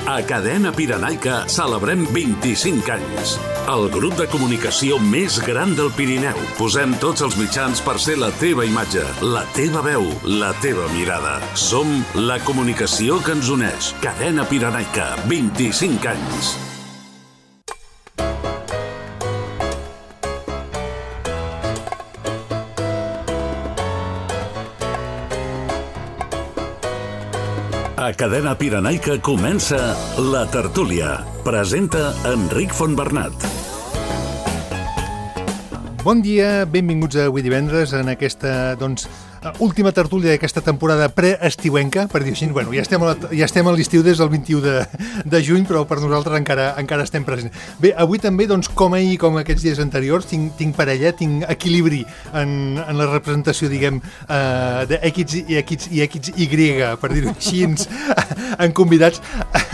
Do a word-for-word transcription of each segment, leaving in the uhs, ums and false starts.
A Cadena Pirenaica celebrem vint-i-cinc anys. El grup de comunicació més gran del Pirineu. Posem tots els mitjans per ser la teva imatge, la teva veu, la teva mirada. Som la comunicació que ens uneix. Cadena Pirenaica, vint-i-cinc anys. A Cadena Pirenaica comença La Tertúlia. Presenta Enric Fontbernat. Bon dia, benvinguts avui divendres en aquesta, doncs, última tertúlia d'aquesta temporada preestiuenca, per dir així. Bueno, ja estem a, la, ja estem a l'estiu des del vint-i-u de, de juny, però per nosaltres encara, encara estem presents. Bé, avui també, doncs, com ahir, com aquests dies anteriors, tinc, tinc parella, tinc equilibri en, en la representació, diguem, uh, de X i X i X Y, per dir-ho així, en convidats.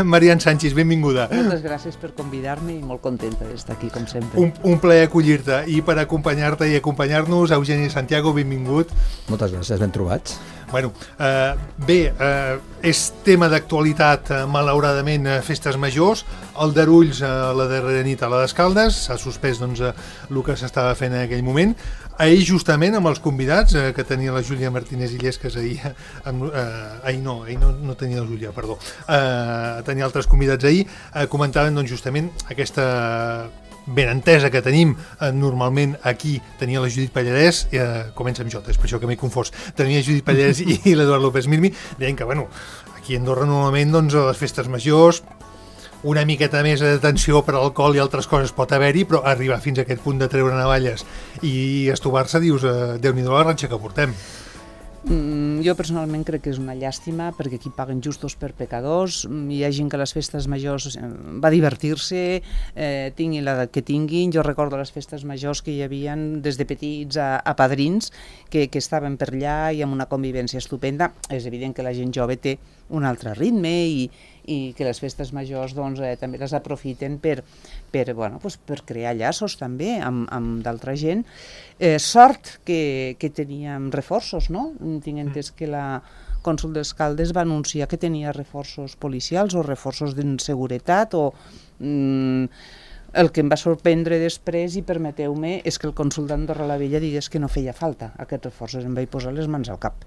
Marian Sánchez, benvinguda. Moltes gràcies per convidar-me i molt contenta d'estar aquí, com sempre. Un, un plaer acollir-te, i per acompanyar-te i acompanyar-nos, Eugeni Santiago, benvingut. Moltes gràcies, ben trobats. Bueno, eh, bé, eh, és tema d'actualitat, eh, malauradament, eh, festes majors, el d'Arulls, eh, la darrera nit a la d'Escaldes, s'ha suspès doncs, eh, el que s'estava fent en aquell moment. Ahir, justament, amb els convidats, eh, que tenia la Júlia Martínez Illescas ahir, amb, eh, ahir no, ahir no, no tenia la Júlia, perdó, eh, tenia altres convidats ahir, eh, comentaven doncs, justament aquesta ben entesa que tenim, eh, normalment aquí tenia la Judit Pallarès, eh, comença amb J, és per això que m'he confós, tenia Judit Pallarès i, i l'Eduard López Mirmi, deien que, bueno, aquí a Andorra normalment, doncs, a les festes majors, una miqueta més d'atenció per alcohol i altres coses pot haver-hi, però arribar fins a aquest punt de treure navalles i estovar-se, dius, eh, Déu-n'hi-do la ratxa que portem. Mm, jo personalment crec que és una llàstima perquè aquí paguen justos per pecadors. Hi ha gent que a les festes majors va a divertir-se, eh, tinguin l'edat que tinguin. Jo recordo les festes majors que hi havia des de petits a, a padrins que, que estaven per allà i amb una convivència estupenda. És evident que la gent jove té un altre ritme i, i que les festes majors doncs, eh, també les aprofiten per, per, bueno, pues per crear llaços també amb, amb d'altra gent. Eh, sort que, que teníem reforços, no? Tinc entès que la cònsol d'Escaldes va anunciar que tenia reforços policials o reforços de seguretat o... Mm, el que em va sorprendre després, i permeteu-me, és que el cònsol d'Andorra la Vella digués que no feia falta aquests reforços. Em vaig posar les mans al cap.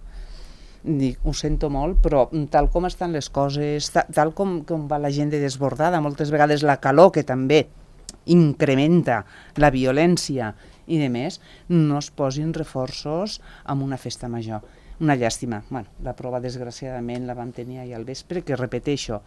Dic, ho sento molt, però tal com estan les coses, tal com, com va la gent de desbordada, moltes vegades la calor, que també incrementa la violència i de més, no es posin reforços en una festa major. Una llàstima. Bueno, la prova, desgraciadament, la vam tenir ahir al vespre, que repeteixo,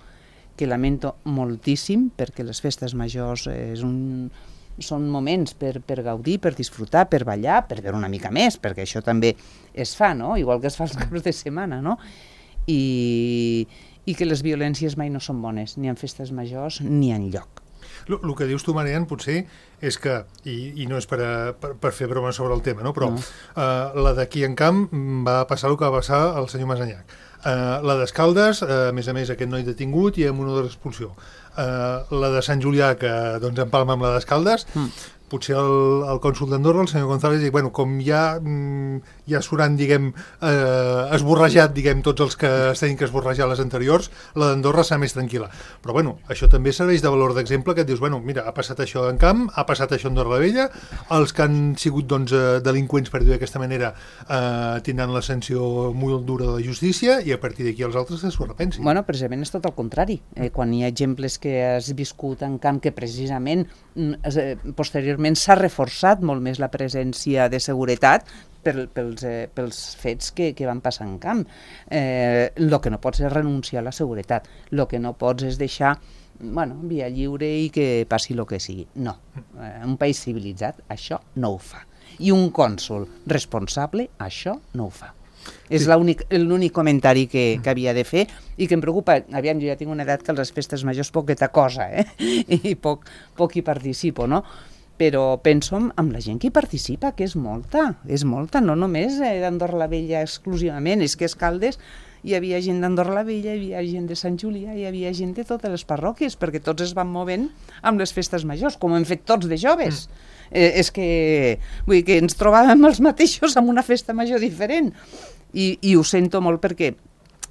que lamento moltíssim, perquè les festes majors és un... són moments per, per gaudir, per disfrutar, per ballar, per veure una mica més, perquè això també es fa, no? Igual que es fa els caps de setmana, no? I, i que les violències mai no són bones, ni en festes majors ni en lloc. El que dius tu, Marian, potser és que, i, i no és per, a, per, per fer broma sobre el tema, no? Però no. Uh, la d'aquí en Camp va passar el que va passar al senyor Masanyac. Uh, la d'Escaldes, uh, a més a més, aquest noi detingut i amb una de l'expulsió. Uh, la de Sant Julià, que doncs, empalma amb la d'Escaldes, mm. potser el, el cònsol d'Andorra, el senyor González, diu, bueno, com ja, mm, ja s'hauran, diguem, eh, esborrejat, diguem, tots els que es tenen que esborrejar les anteriors, la d'Andorra serà més tranquil·la. Però, bueno, això també serveix de valor d'exemple, que et dius, bueno, mira, ha passat això en Camp, ha passat això a Andorra la Vella, els que han sigut, doncs, delinqüents, per dir d'aquesta manera, eh, tindran la sanció molt dura de la justícia, i a partir d'aquí els altres que s'ho repensin. Bueno, precisament és tot el contrari. Eh, quan hi ha exemples que has viscut en Camp, que precisament eh, posteriorment s'ha reforçat molt més la presència de seguretat per, pels, eh, pels fets que, que van passar en Camp. Eh, el que no pots és renunciar a la seguretat, el que no pots és deixar, bueno, via lliure i que passi el que sigui. No, eh, un país civilitzat això no ho fa. I un cònsol responsable això no ho fa. És sí. l'únic comentari que, que havia de fer i que em preocupa. Aviam, jo ja tinc una edat que a les festes majors poqueta cosa, eh? I poc, poc hi participo, no? Però penso en la gent que hi participa, que és molta, és molta, no només eh, d'Andorra la Vella exclusivament, és que a Escaldes hi havia gent d'Andorra la Vella, hi havia gent de Sant Julià, hi havia gent de totes les parròquies, perquè tots es van movent amb les festes majors, com hem fet tots de joves. Mm. Eh, és que, vull dir, que ens trobàvem els mateixos amb una festa major diferent. I, i ho sento molt perquè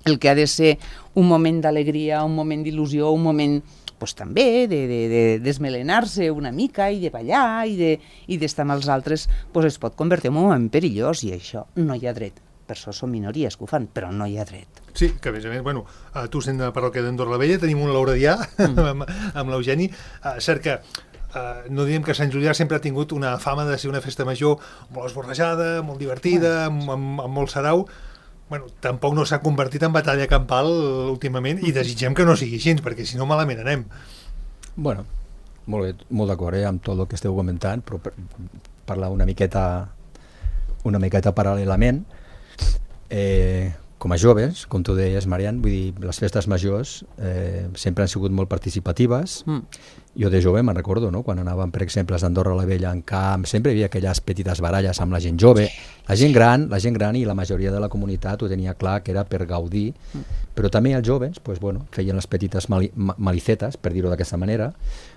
el que ha de ser un moment d'alegria, un moment d'il·lusió, un moment pues, també de, de, de desmelenar-se una mica i de ballar i d'estar de, amb els altres, pues, es pot convertir en un moment perillós i això no hi ha dret. Per això són minories que ho fan, però no hi ha dret. Sí, que a més a més, bueno, uh, tu sent de parròquia d'Andorra la Vella, tenim un lauradià mm. amb, amb l'Eugeni, uh, cert que uh, no diem que Sant Julià sempre ha tingut una fama de ser una festa major molt esborrejada, molt divertida, amb, amb, amb molt sarau. Bueno, tampoc no s'ha convertit en batalla campal últimament i desitgem que no sigui així, perquè si no malament anem. Bueno, molt bé, molt d'acord eh, amb tot el que esteu comentant, però per, parlar una miqueta una miqueta paral·lelament. Eh, com a joves, com tu deies, Marian, vull dir, les festes majors eh, sempre han sigut molt participatives. Mm. Jo de jove me'n recordo, no? Quan anàvem, per exemple, a Andorra la Vella en camp, sempre hi havia aquelles petites baralles amb la gent jove. La gent gran, la gent gran i la majoria de la comunitat ho tenia clar que era per gaudir, mm. però també els joves pues, bueno, feien les petites mali malicetes, per dir-ho d'aquesta manera,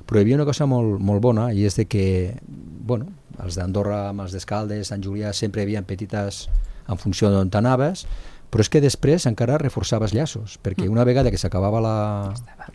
però hi havia una cosa molt, molt bona i és de que, bueno, els d'Andorra amb els d'Escaldes, Sant Julià, sempre hi havia petites en funció d'on t'anaves, però és que després encara reforçaves llaços, perquè una vegada que s'acabava la,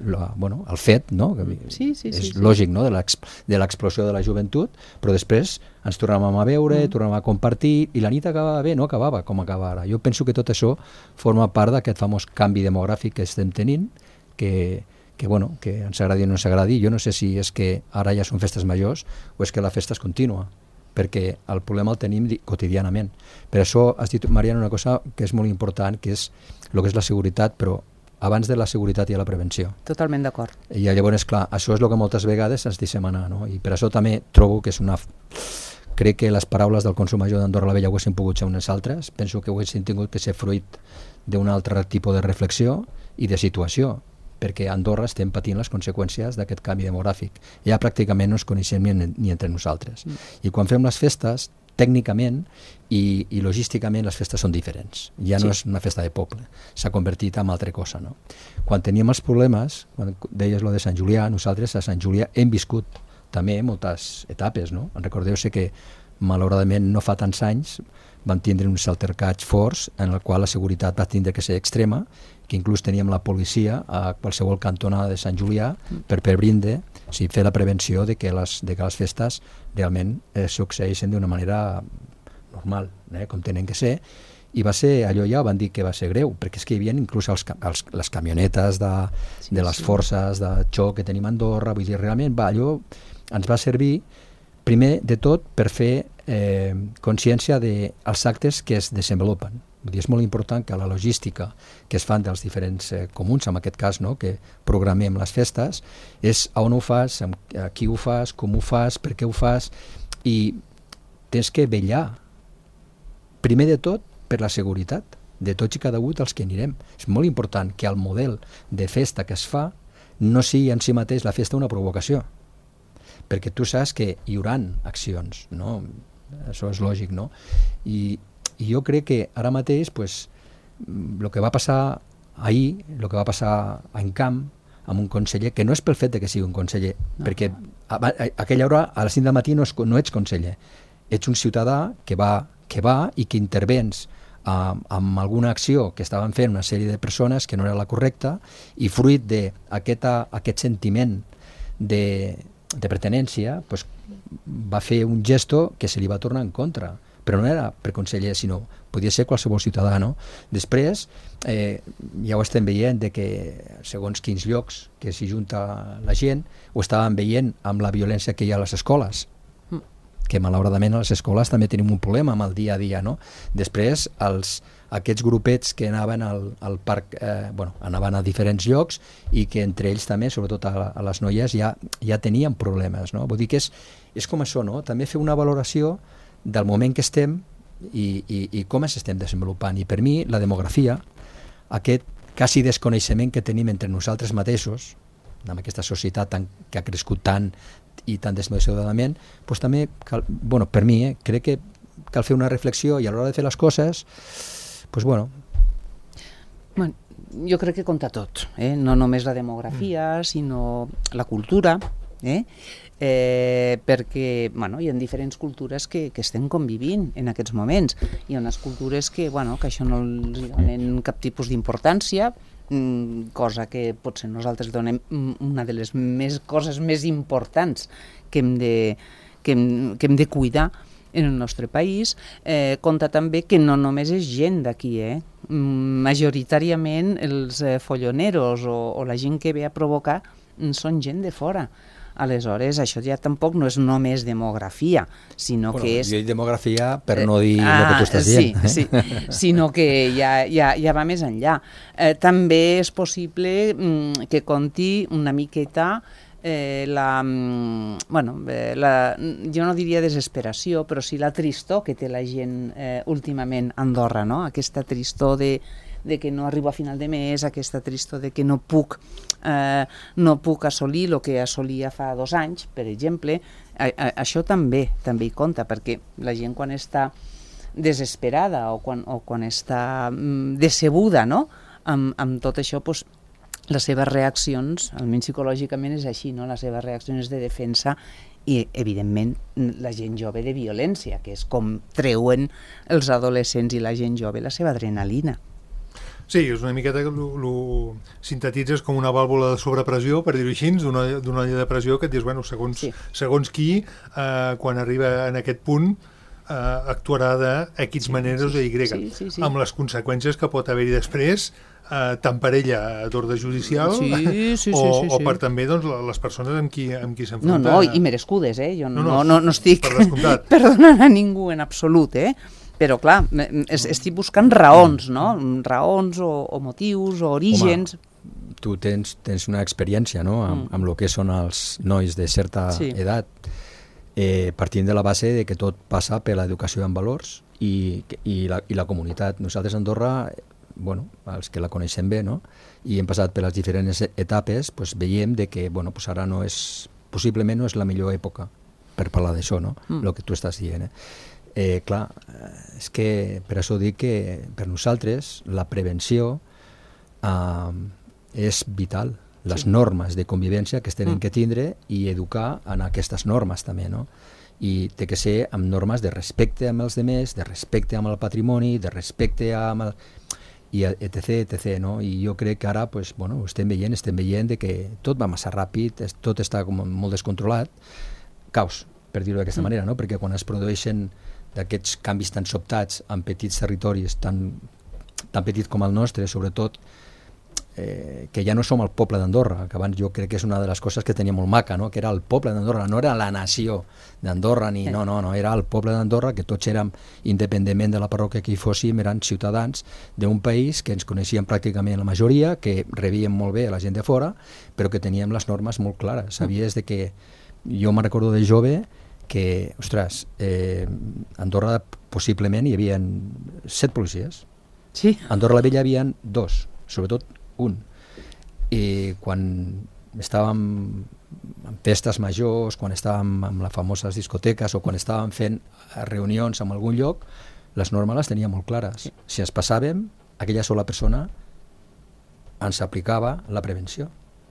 la, bueno, el fet, no? Sí, sí, és sí, lògic, no? De l'explosió de la joventut, però després ens tornàvem a veure, mm. tornàvem a compartir, i la nit acabava bé, no acabava com acaba ara. Jo penso que tot això forma part d'aquest famós canvi demogràfic que estem tenint, que, que, bueno, que ens agradi o no ens agradi. Jo no sé si és que ara ja són festes majors o és que la festa és contínua, perquè el problema el tenim quotidianament. Per això has dit, Mariana, una cosa que és molt important, que és el que és la seguretat, però abans de la seguretat hi ha la prevenció. Totalment d'acord. I llavors, clar, això és el que moltes vegades ens deixem anar, no? I per això també trobo que és una... Crec que les paraules del Consell Major d'Andorra la Vella ho haguessin pogut ser unes altres, penso que ho haguessin tingut que ser fruit d'un altre tipus de reflexió i de situació, perquè a Andorra estem patint les conseqüències d'aquest canvi demogràfic. Ja pràcticament no ens coneixem ni, ni entre nosaltres. Mm. I quan fem les festes, tècnicament i, i logísticament les festes són diferents. Ja no sí. és una festa de poble, s'ha convertit en altra cosa. No? Quan teníem els problemes, quan deies lo de Sant Julià, nosaltres a Sant Julià hem viscut també moltes etapes. No? Recordeu-se que malauradament no fa tants anys vam tindre uns altercats forts en el qual la seguretat va tindre que ser extrema, que inclús teníem la policia a qualsevol cantonada de Sant Julià per per brinde, o sigui, fer la prevenció de que les, de que les festes realment eh, succeeixen d'una manera normal, eh, com tenen que ser, i va ser, allò ja van dir que va ser greu, perquè és que hi havia inclús els, els, les camionetes de, sí, de les sí. forces de xoc que tenim a Andorra, vull dir, realment va, allò ens va servir primer de tot per fer eh, consciència dels actes que es desenvolupen. Vull dir, és molt important que la logística que es fan dels diferents eh, comuns, en aquest cas, no, que programem les festes, és a on ho fas, amb, a qui ho fas, com ho fas, per què ho fas, i tens que vetllar, primer de tot, per la seguretat de tots i cada un dels que anirem. És molt important que el model de festa que es fa no sigui en si mateix la festa una provocació, perquè tu saps que hi haurà accions, no? Això és lògic, no? I, i jo crec que ara mateix pues, el que va passar ahir, el que va passar en camp amb un conseller, que no és pel fet de que sigui un conseller, no, perquè a, a, a aquella hora a les cinc del matí no, és, no ets conseller, ets un ciutadà que va, que va i que intervens uh, amb alguna acció que estaven fent una sèrie de persones que no era la correcta, i fruit d'aquest aquest sentiment de, de pertenència pues, va fer un gesto que se li va tornar en contra, però no era per conseller, sinó podia ser qualsevol ciutadà, no? Després, eh, ja ho estem veient de que segons quins llocs que s'hi junta la gent, ho estàvem veient amb la violència que hi ha a les escoles, mm. que malauradament a les escoles també tenim un problema amb el dia a dia, no? Després, els, aquests grupets que anaven al, al parc, eh, bueno, anaven a diferents llocs i que entre ells també, sobretot a, a les noies, ja, ja tenien problemes, no? Vull dir que és, és com això, no? També fer una valoració del moment que estem i, i, i com ens estem desenvolupant. I per mi la demografia, aquest quasi desconeixement que tenim entre nosaltres mateixos, amb aquesta societat tan, que ha crescut tant i tan desmesuradament, doncs també, cal, bueno, per mi, eh, crec que cal fer una reflexió i a l'hora de fer les coses, doncs bueno. Bueno, jo crec que compta tot, eh? No només la demografia, sinó la cultura, eh? Eh, perquè bueno, hi ha diferents cultures que, que estem convivint en aquests moments. Hi ha unes cultures que, bueno, que això no els donen cap tipus d'importància, cosa que potser nosaltres donem una de les més coses més importants que hem de, que hem, que hem de cuidar en el nostre país. Eh, compta també que no només és gent d'aquí, eh? Majoritàriament els eh, folloneros o, o la gent que ve a provocar són gent de fora. Aleshores, això ja tampoc no és només demografia, sinó bueno, que és... Jo dic demografia per no dir ah, el que tu estàs sí, dient. Sí, sinó que ja, ja, ja va més enllà. Eh, també és possible mm, que conti una miqueta eh, la, mm, bueno, eh, la... Jo no diria desesperació, però sí la tristor que té la gent eh, últimament a Andorra, no? Aquesta tristor de... de que no arribo a final de mes, aquesta tristor de que no puc, eh, no puc assolir el que assolia fa dos anys, per exemple. A, a, això també també hi compta, perquè la gent quan està desesperada o quan, o quan està mm, decebuda, no? amb, amb tot això, doncs, les seves reaccions, almenys psicològicament és així, no? Les seves reaccions de defensa i, evidentment, la gent jove de violència, que és com treuen els adolescents i la gent jove la seva adrenalina. Sí, és una miqueta que ho sintetitzes com una vàlvula de sobrepressió, per dir-ho així, d'una olla de pressió que et dius, bueno, segons, sí. segons qui, eh, quan arriba en aquest punt, eh, actuarà de X sí, maneres sí, o Y, sí, sí, sí. amb les conseqüències que pot haver-hi després, eh, tant per ella d'ordre judicial sí, sí, sí, o, sí, sí, sí. o per també doncs, les persones amb qui, amb qui s'enfronta. No, no, i merescudes, eh? Jo no, no, no, no, no estic perdonant a ningú en absolut, eh? Però, clar, estic buscant raons, no? Raons o, o motius o orígens. Home, tu tens, tens una experiència, no?, amb, mm. amb el que són els nois de certa sí. edat, eh, partint de la base de que tot passa per l'educació en valors i, i, la, i la comunitat. Nosaltres a Andorra, bueno, els que la coneixem bé, no?, i hem passat per les diferents etapes, pues, veiem de que, bueno, pues ara no és, possiblement no és la millor època per parlar d'això, no?, mm. el que tu estàs dient, eh? Eh, clar, és que per això dic que per nosaltres la prevenció eh, és vital, les sí. normes de convivència que es tenen mm. que tindre i educar en aquestes normes també, no? I té que ser amb normes de respecte amb els demés, de respecte amb el patrimoni, de respecte amb el... i etc, etc, no? I jo crec que ara, pues, bueno, estem veient, estem veient de que tot va massa ràpid, tot està com molt descontrolat, caos, per dir-ho d'aquesta mm. manera, no? Perquè quan es produeixen d'aquests canvis tan sobtats en petits territoris tan, tan petits com el nostre, sobretot eh, que ja no som el poble d'Andorra, que abans jo crec que és una de les coses que tenia molt maca, no? Que era el poble d'Andorra, no era la nació d'Andorra, ni no, no, no, era el poble d'Andorra, que tots érem, independentment de la parròquia que hi fóssim, eren ciutadans d'un país que ens coneixíem pràcticament la majoria, que rebíem molt bé a la gent de fora, però que teníem les normes molt clares. Sabies de que, jo me'n recordo de jove, que, ostres, eh, a Andorra possiblement hi havia set policies. Sí. A Andorra la Vella hi havia dos, sobretot un. I quan estàvem en festes majors, quan estàvem amb les famoses discoteques o quan estàvem fent reunions en algun lloc, les normes les tenia molt clares. Sí. Si ens passàvem, aquella sola persona ens aplicava la prevenció.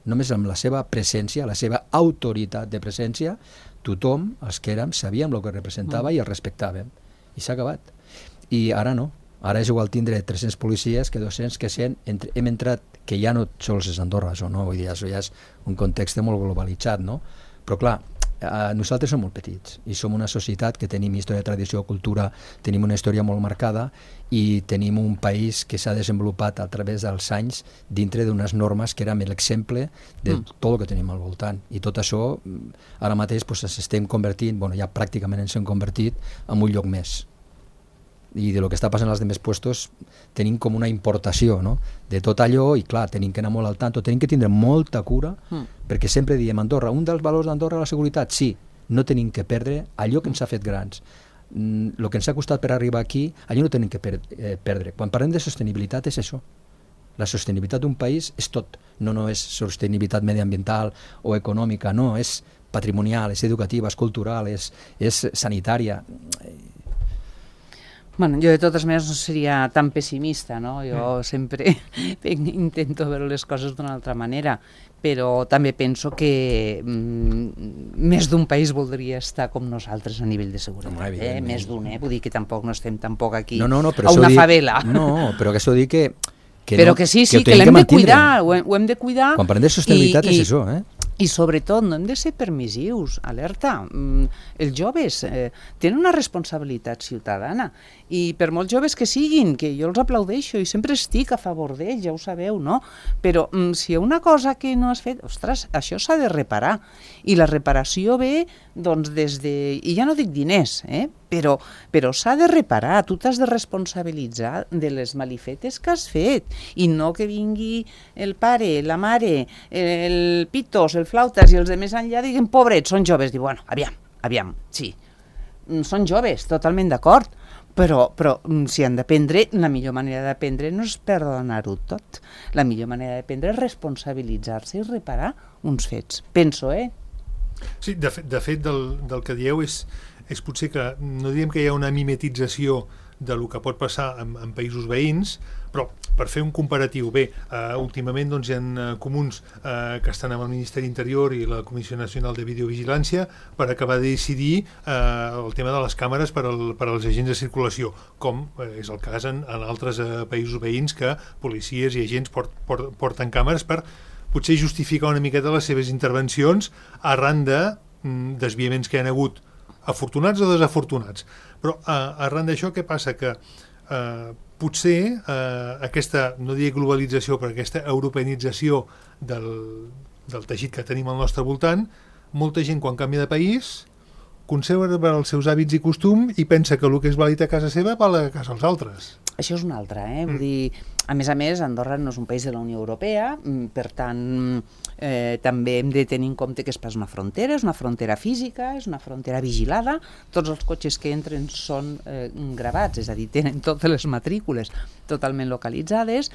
Només amb la seva presència, la seva autoritat de presència, tothom, els que érem, sabíem el que representava mm. i el respectàvem. I s'ha acabat. I ara no. Ara és igual tindre tres-cents policies que dos-cents que cent. Entre, hem entrat, que ja no sols és Andorra, això, no? Vull dir, això ja és un context molt globalitzat, no? Però clar, eh, nosaltres som molt petits i som una societat que tenim història, tradició, cultura, tenim una història molt marcada i tenim un país que s'ha desenvolupat a través dels anys dintre d'unes normes que eren l'exemple de mm. tot el que tenim al voltant. I tot això, ara mateix, pues, ens estem convertint, bueno, ja pràcticament ens hem convertit en un lloc més. I de lo que està passant als demés puestos tenim com una importació, no?, de tot allò, i clar, tenim que anar molt al tanto, tenim que tindre molta cura, mm. perquè sempre diem Andorra, un dels valors d'Andorra és la seguretat, sí, no tenim que perdre allò que ens ha fet grans. Mm, el que ens ha costat per arribar aquí, allò no tenim que per, eh, perdre. Quan parlem de sostenibilitat és això. La sostenibilitat d'un país és tot, no, no és sostenibilitat mediambiental o econòmica, no, és patrimonial, és educativa, és cultural, és, és sanitària. Bueno, jo de totes maneres no seria tan pessimista, no? Jo mm. sempre intento veure les coses d'una altra manera, però també penso que mm, més d'un país voldria estar com nosaltres a nivell de seguretat, eh? Més d'un, eh? Vull dir que tampoc no estem tampoc aquí no, no, no, a una dic, favela. No, però que això dic que... que però no, que sí, sí, que, que l'hem que de cuidar, ho hem, ho hem de cuidar. Quan parlem de sostenibilitat i, és això, eh? I sobretot no hem de ser permissius, alerta. Mm, els joves eh, tenen una responsabilitat ciutadana i per molts joves que siguin, que jo els aplaudeixo i sempre estic a favor d'ells, ja ho sabeu, no? Però mm, si hi ha una cosa que no has fet, ostres, això s'ha de reparar. I la reparació ve, doncs, des de... I ja no dic diners, eh? Però, però s'ha de reparar, tu t'has de responsabilitzar de les malifetes que has fet i no que vingui el pare, la mare, el pitos, el flautes i els de més enllà diguin, pobrets, són joves. Diu, bueno, aviam, aviam, sí, són joves, totalment d'acord, però, però si han d'aprendre, la millor manera d'aprendre no és perdonar-ho tot. La millor manera d'aprendre és responsabilitzar-se i reparar uns fets. Penso, eh? Sí, de fet, de fet del, del que dieu és, és potser que no diem que hi ha una mimetització de lo que pot passar en, en països veïns, però per fer un comparatiu, bé, uh, últimament doncs, hi ha uh, comuns uh, que estan amb el Ministeri Interior i la Comissió Nacional de Videovigilància per acabar de decidir uh, el tema de les càmeres per, al, per als agents de circulació, com uh, és el cas en, en altres uh, països veïns que policies i agents port, port, porten càmeres per potser justificar una miqueta les seves intervencions arran de mm, desviaments que hi ha hagut, afortunats o desafortunats. Però uh, arran d'això què passa? Que uh, potser uh, aquesta, no diré globalització, però aquesta europeanització del, del teixit que tenim al nostre voltant, molta gent quan canvia de país conserva els seus hàbits i costum i pensa que el que és vàlid a casa seva val a casa dels altres. Això és una altra, eh? Vull dir, a més a més, Andorra no és un país de la Unió Europea, per tant, eh, també hem de tenir en compte que és pas una frontera, és una frontera física, és una frontera vigilada, tots els cotxes que entren són eh, gravats, és a dir, tenen totes les matrícules totalment localitzades,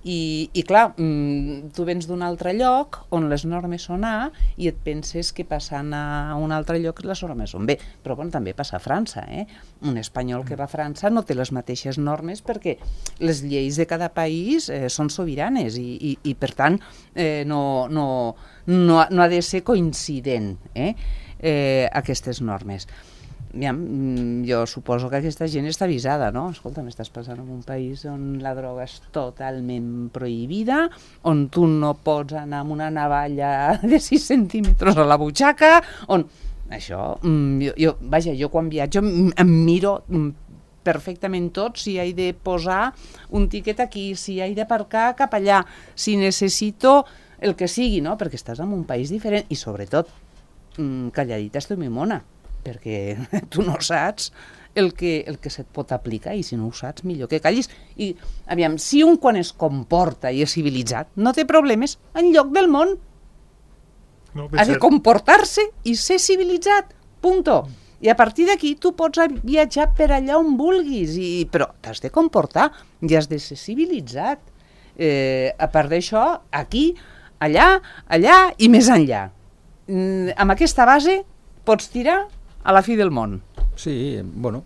i, i clar, tu vens d'un altre lloc on les normes són A i et penses que passant a un altre lloc les normes són B, però bueno, també passa a França, eh? Un espanyol que va a França no té les mateixes normes perquè les lleis de cada país eh, són sobiranes i, i, i per tant eh, no, no, no, no ha de ser coincident eh, eh, aquestes normes. Aviam, jo suposo que aquesta gent està avisada, no? Escolta, m'estàs passant en un país on la droga és totalment prohibida, on tu no pots anar amb una navalla de sis centímetres a la butxaca, on... Això, jo, jo, vaja, jo quan viatjo em miro perfectament tot, si he de posar un tiquet aquí, si he d'aparcar cap allà, si necessito el que sigui, no? Perquè estàs en un país diferent i sobretot calladita estic mi mona, perquè tu no saps el que, el que se't pot aplicar i si no ho saps millor que callis. I aviam, si un quan es comporta i és civilitzat no té problemes enlloc del món, no, ha de comportar-se i ser civilitzat, punto. I a partir d'aquí tu pots viatjar per allà on vulguis, i, però t'has de comportar i has de ser civilitzat. Eh, a part d'això, aquí, allà, allà i més enllà. Mm, amb aquesta base pots tirar a la fi del món. Sí, bueno,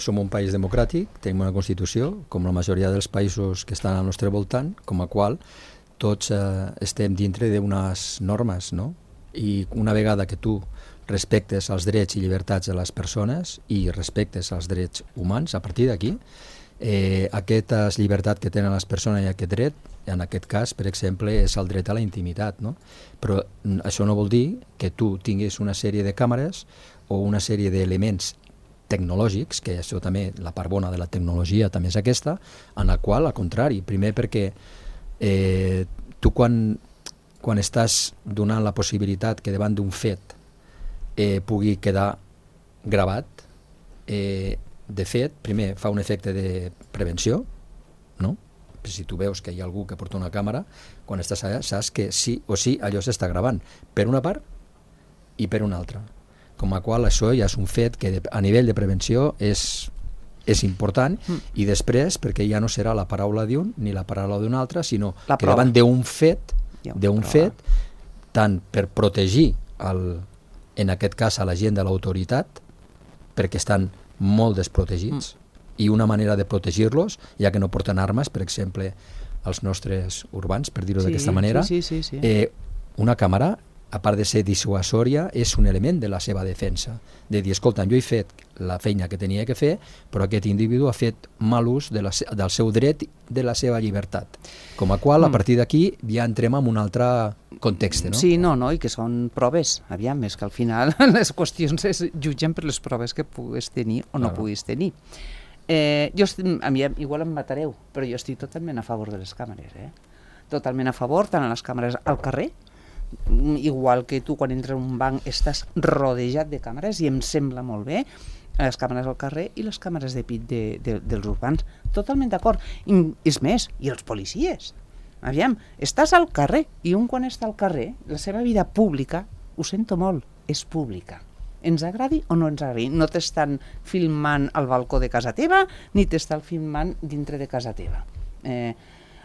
som un país democràtic, tenim una Constitució, com la majoria dels països que estan al nostre voltant, com a qual tots eh, estem dintre d'unes normes, no? I una vegada que tu respectes els drets i llibertats de les persones i respectes els drets humans, a partir d'aquí, eh, aquesta llibertat que tenen les persones i aquest dret, en aquest cas, per exemple, és el dret a la intimitat, no? Però això no vol dir que tu tinguis una sèrie de càmeres o una sèrie d'elements tecnològics, que això també, la part bona de la tecnologia també és aquesta, en la qual, al contrari, primer perquè eh, tu quan, quan estàs donant la possibilitat que davant d'un fet eh, pugui quedar gravat, eh, de fet, primer fa un efecte de prevenció, no? Si tu veus que hi ha algú que porta una càmera, quan estàs allà saps que sí o sí allò s'està gravant, per una part i per una altra. Com a qual això ja és un fet que de, a nivell de prevenció és, és important mm. i després perquè ja no serà la paraula d'un ni la paraula d'un altre, sinó la que davant d'un fet, d'un fet, tant per protegir el, en aquest cas a la gent de l'autoritat, perquè estan molt desprotegits, mm. i una manera de protegir-los, ja que no porten armes, per exemple, els nostres urbans, per dir-ho Sí, d'aquesta manera, sí, sí, sí, sí. Eh, una càmera, a part de ser dissuasòria, és un element de la seva defensa. De dir, escolta, jo he fet la feina que tenia que fer, però aquest individu ha fet mal ús de la, del seu dret, de la seva llibertat. Com a qual, a partir d'aquí, ja entrem en un altre context, no? Sí, no, no, i que són proves. Aviam, és que al final les qüestions es jutgen per les proves que puguis tenir o no Claro. puguis tenir. Eh, jo, estic- a mi igual em matareu, però jo estic totalment a favor de les càmeres, eh? Totalment a favor, tant a les càmeres al carrer, igual que tu quan entres a un banc estàs rodejat de càmeres, i em sembla molt bé, les càmeres al carrer i les càmeres de pit de, de, dels urbans. Totalment d'acord. I és més, i els policies. Aviam, estàs al carrer, i un quan està al carrer, la seva vida pública, ho sento molt, és pública. Ens agradi o no ens agradi. No t'estan filmant al balcó de casa teva, ni t'estan filmant dintre de casa teva. Eh,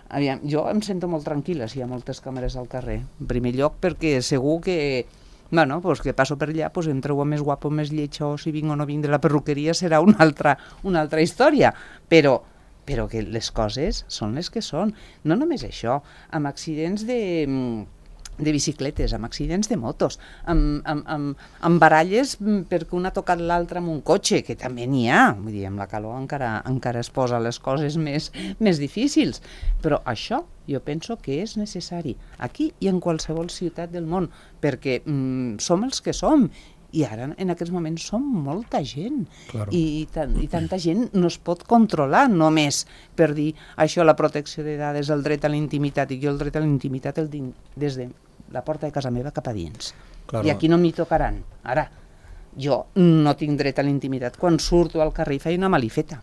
aviam, jo em sento molt tranquil·la si hi ha moltes càmeres al carrer. En primer lloc perquè segur que, bueno, pues que passo per allà, pues em trobo més guapo, més lleig, o si vinc o no vinc de la perruqueria serà una altra, una altra història. Però, però que les coses són les que són. No només això, amb accidents de... de bicicletes, amb accidents de motos, amb, amb, amb, amb baralles perquè un ha tocat l'altre amb un cotxe, que també n'hi ha. Vull dir, amb la calor encara, encara es posa les coses més, més difícils. Però això jo penso que és necessari aquí i en qualsevol ciutat del món, perquè mm, som els que som. I ara, en aquests moments, som molta gent. Claro. I, tan, I tanta gent no es pot controlar només per dir això, la protecció de dades, el dret a la intimitat, i jo el dret a la intimitat el tinc des de la porta de casa meva cap a dins. Claro. I aquí no m'hi tocaran. Ara, jo no tinc dret a la intimitat quan surto al carrer i faig una malifeta.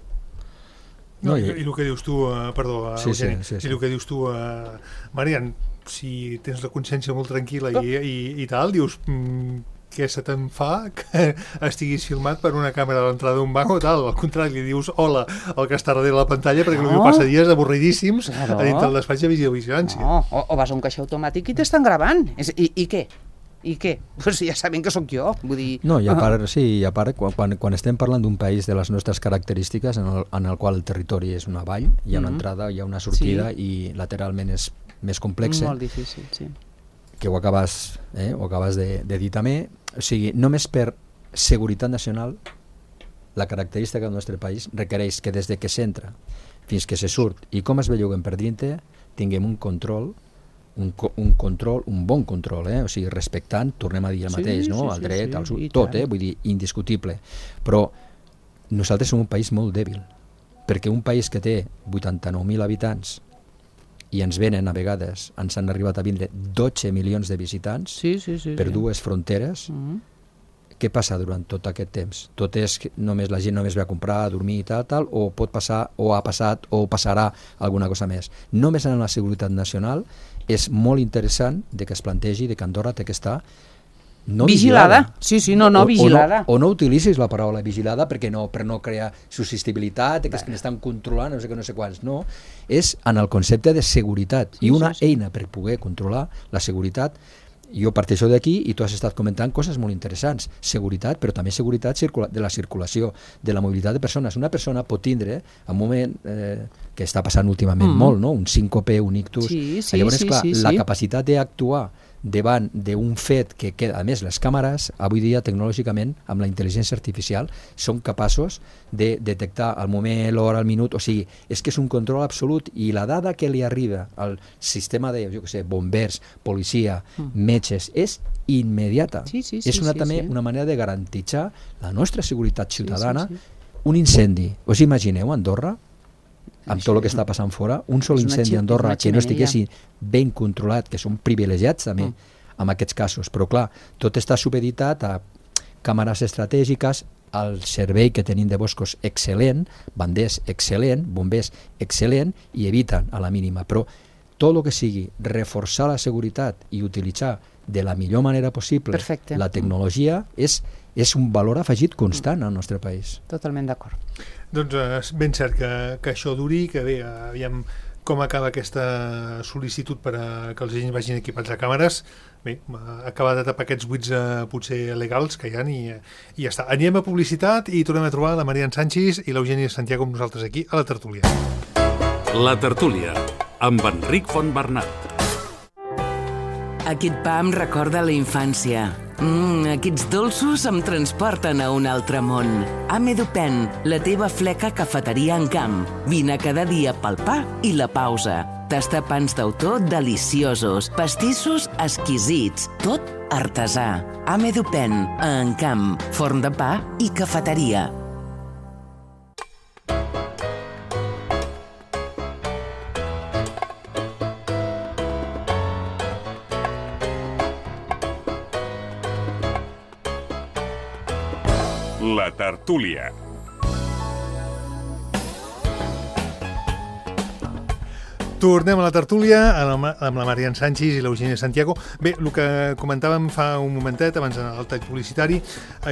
No, No, i, i- I el que dius tu, uh, perdó, uh, Sí, sí, Eugeni, sí, sí. i el que dius tu, uh, Marian, si tens la consciència molt tranquil·la Oh. i, i, i tal, dius, mm, què se te'n fa que estiguis filmat per una càmera a l'entrada d'un banc o tal? Al contrari, li dius hola al que està darrere la pantalla, perquè No. no. passa dies avorridíssims Claro. a dintre del despatx de videovigilància. No, o, o vas a un caixer automàtic i t'estan gravant. És, i, I què? I què? Pues ja saben que sóc jo. Vull dir... No, i a part, sí, i a part quan, quan, quan estem parlant d'un país de les nostres característiques en el, en el qual el territori és una vall, hi ha una Mhm. entrada, hi ha una sortida, i lateralment és més complex, Molt difícil, sí. que ho acabes, eh, ho acabes de, de dir també. O sigui, només per seguretat nacional, la característica del nostre país requereix que des de que s'entra fins que se surt i com es belluguen per dintre, tinguem un control, un, co- un control, un bon control, eh? O sigui, respectant, tornem a dir el Sí, mateix, no? sí, El sí, dret, sí, el, su- i tot, tant. eh? Vull dir, indiscutible. Però nosaltres som un país molt dèbil, perquè un país que té vuitanta-nou mil habitants i ens venen a vegades, ens han arribat a vindre dotze milions de visitants Sí, sí, sí. per sí. dues fronteres. Mhm. Què passa durant tot aquest temps? Tot és que només la gent només ve a comprar, a dormir i tal, tal, o pot passar, o ha passat, o passarà alguna cosa més. Només en la seguretat nacional és molt interessant de que es plantegi de que Andorra té que estar no Vigilada. vigilada. Sí, sí, no, no, O- vigilada. O no, o no utilitzis la paraula vigilada perquè no, per no crear susceptibilitat, que és que n'estan controlant, no sé què, no sé quants. No, és en el concepte de seguretat. Sí, I una sí, sí. eina per poder controlar la seguretat. Jo parteixo d'aquí i tu has estat comentant coses molt interessants. Seguretat, però també seguretat circula de la circulació, de la mobilitat de persones. Una persona pot tindre, en un moment eh, que està passant últimament Mm. molt, no? Un síncope, un ictus. Sí, sí, Llavors, sí, clar, sí, la sí. capacitat d'actuar davant d'un fet que queda, a més les càmeres avui dia tecnològicament amb la intel·ligència artificial són capaços de detectar el moment, l'hora, el minut, o sigui, és que és un control absolut i la dada que li arriba al sistema de, jo què sé, bombers, policia, Mm. metges, és immediata. Sí, sí, sí, és una, sí, també sí. una manera de garantitzar la nostra seguretat ciutadana. sí, sí. Un incendi, us imagineu Andorra? Amb Això tot el que és està passant fora, un sol és una incendi xi- a Andorra és una que no xemeneia. estiguessin ben controlat, que són privilegiats també Mm. en aquests casos, però clar, tot està supeditat a càmeres estratègiques, el servei que tenim de boscos excel·lent, banders excel·lent, bombers excel·lent, i eviten a la mínima, però tot el que sigui reforçar la seguretat i utilitzar de la millor manera possible Perfecte. la tecnologia és, és un valor afegit constant al nostre país. Totalment d'acord. Doncs eh, és ben cert que, que això duri, que bé, aviam com acaba aquesta sol·licitud per a que els agents vagin equipats a càmeres. Bé, acabar de tapar aquests buits eh, potser legals que hi ha i, i ja està. Anem a publicitat i tornem a trobar la Marian Sánchez i l'Eugènia Santiago amb nosaltres aquí a la tertúlia. La tertúlia, amb Enric Fontbernat. Aquest pa em recorda la infància. Mm, aquests dolços em transporten a un altre món. Amedupen, la teva fleca cafeteria en camp. Vine cada dia pel pa i la pausa. Tasta pans d'autor deliciosos, pastissos exquisits, tot artesà. Amedupen, a Encamp, forn de pa i cafeteria. La tertúlia. Tornem a la tertúlia amb la Marian Sánchez i l'Eugènia Santiago. Bé, el que comentàvem fa un momentet, abans d'anar al tall publicitari,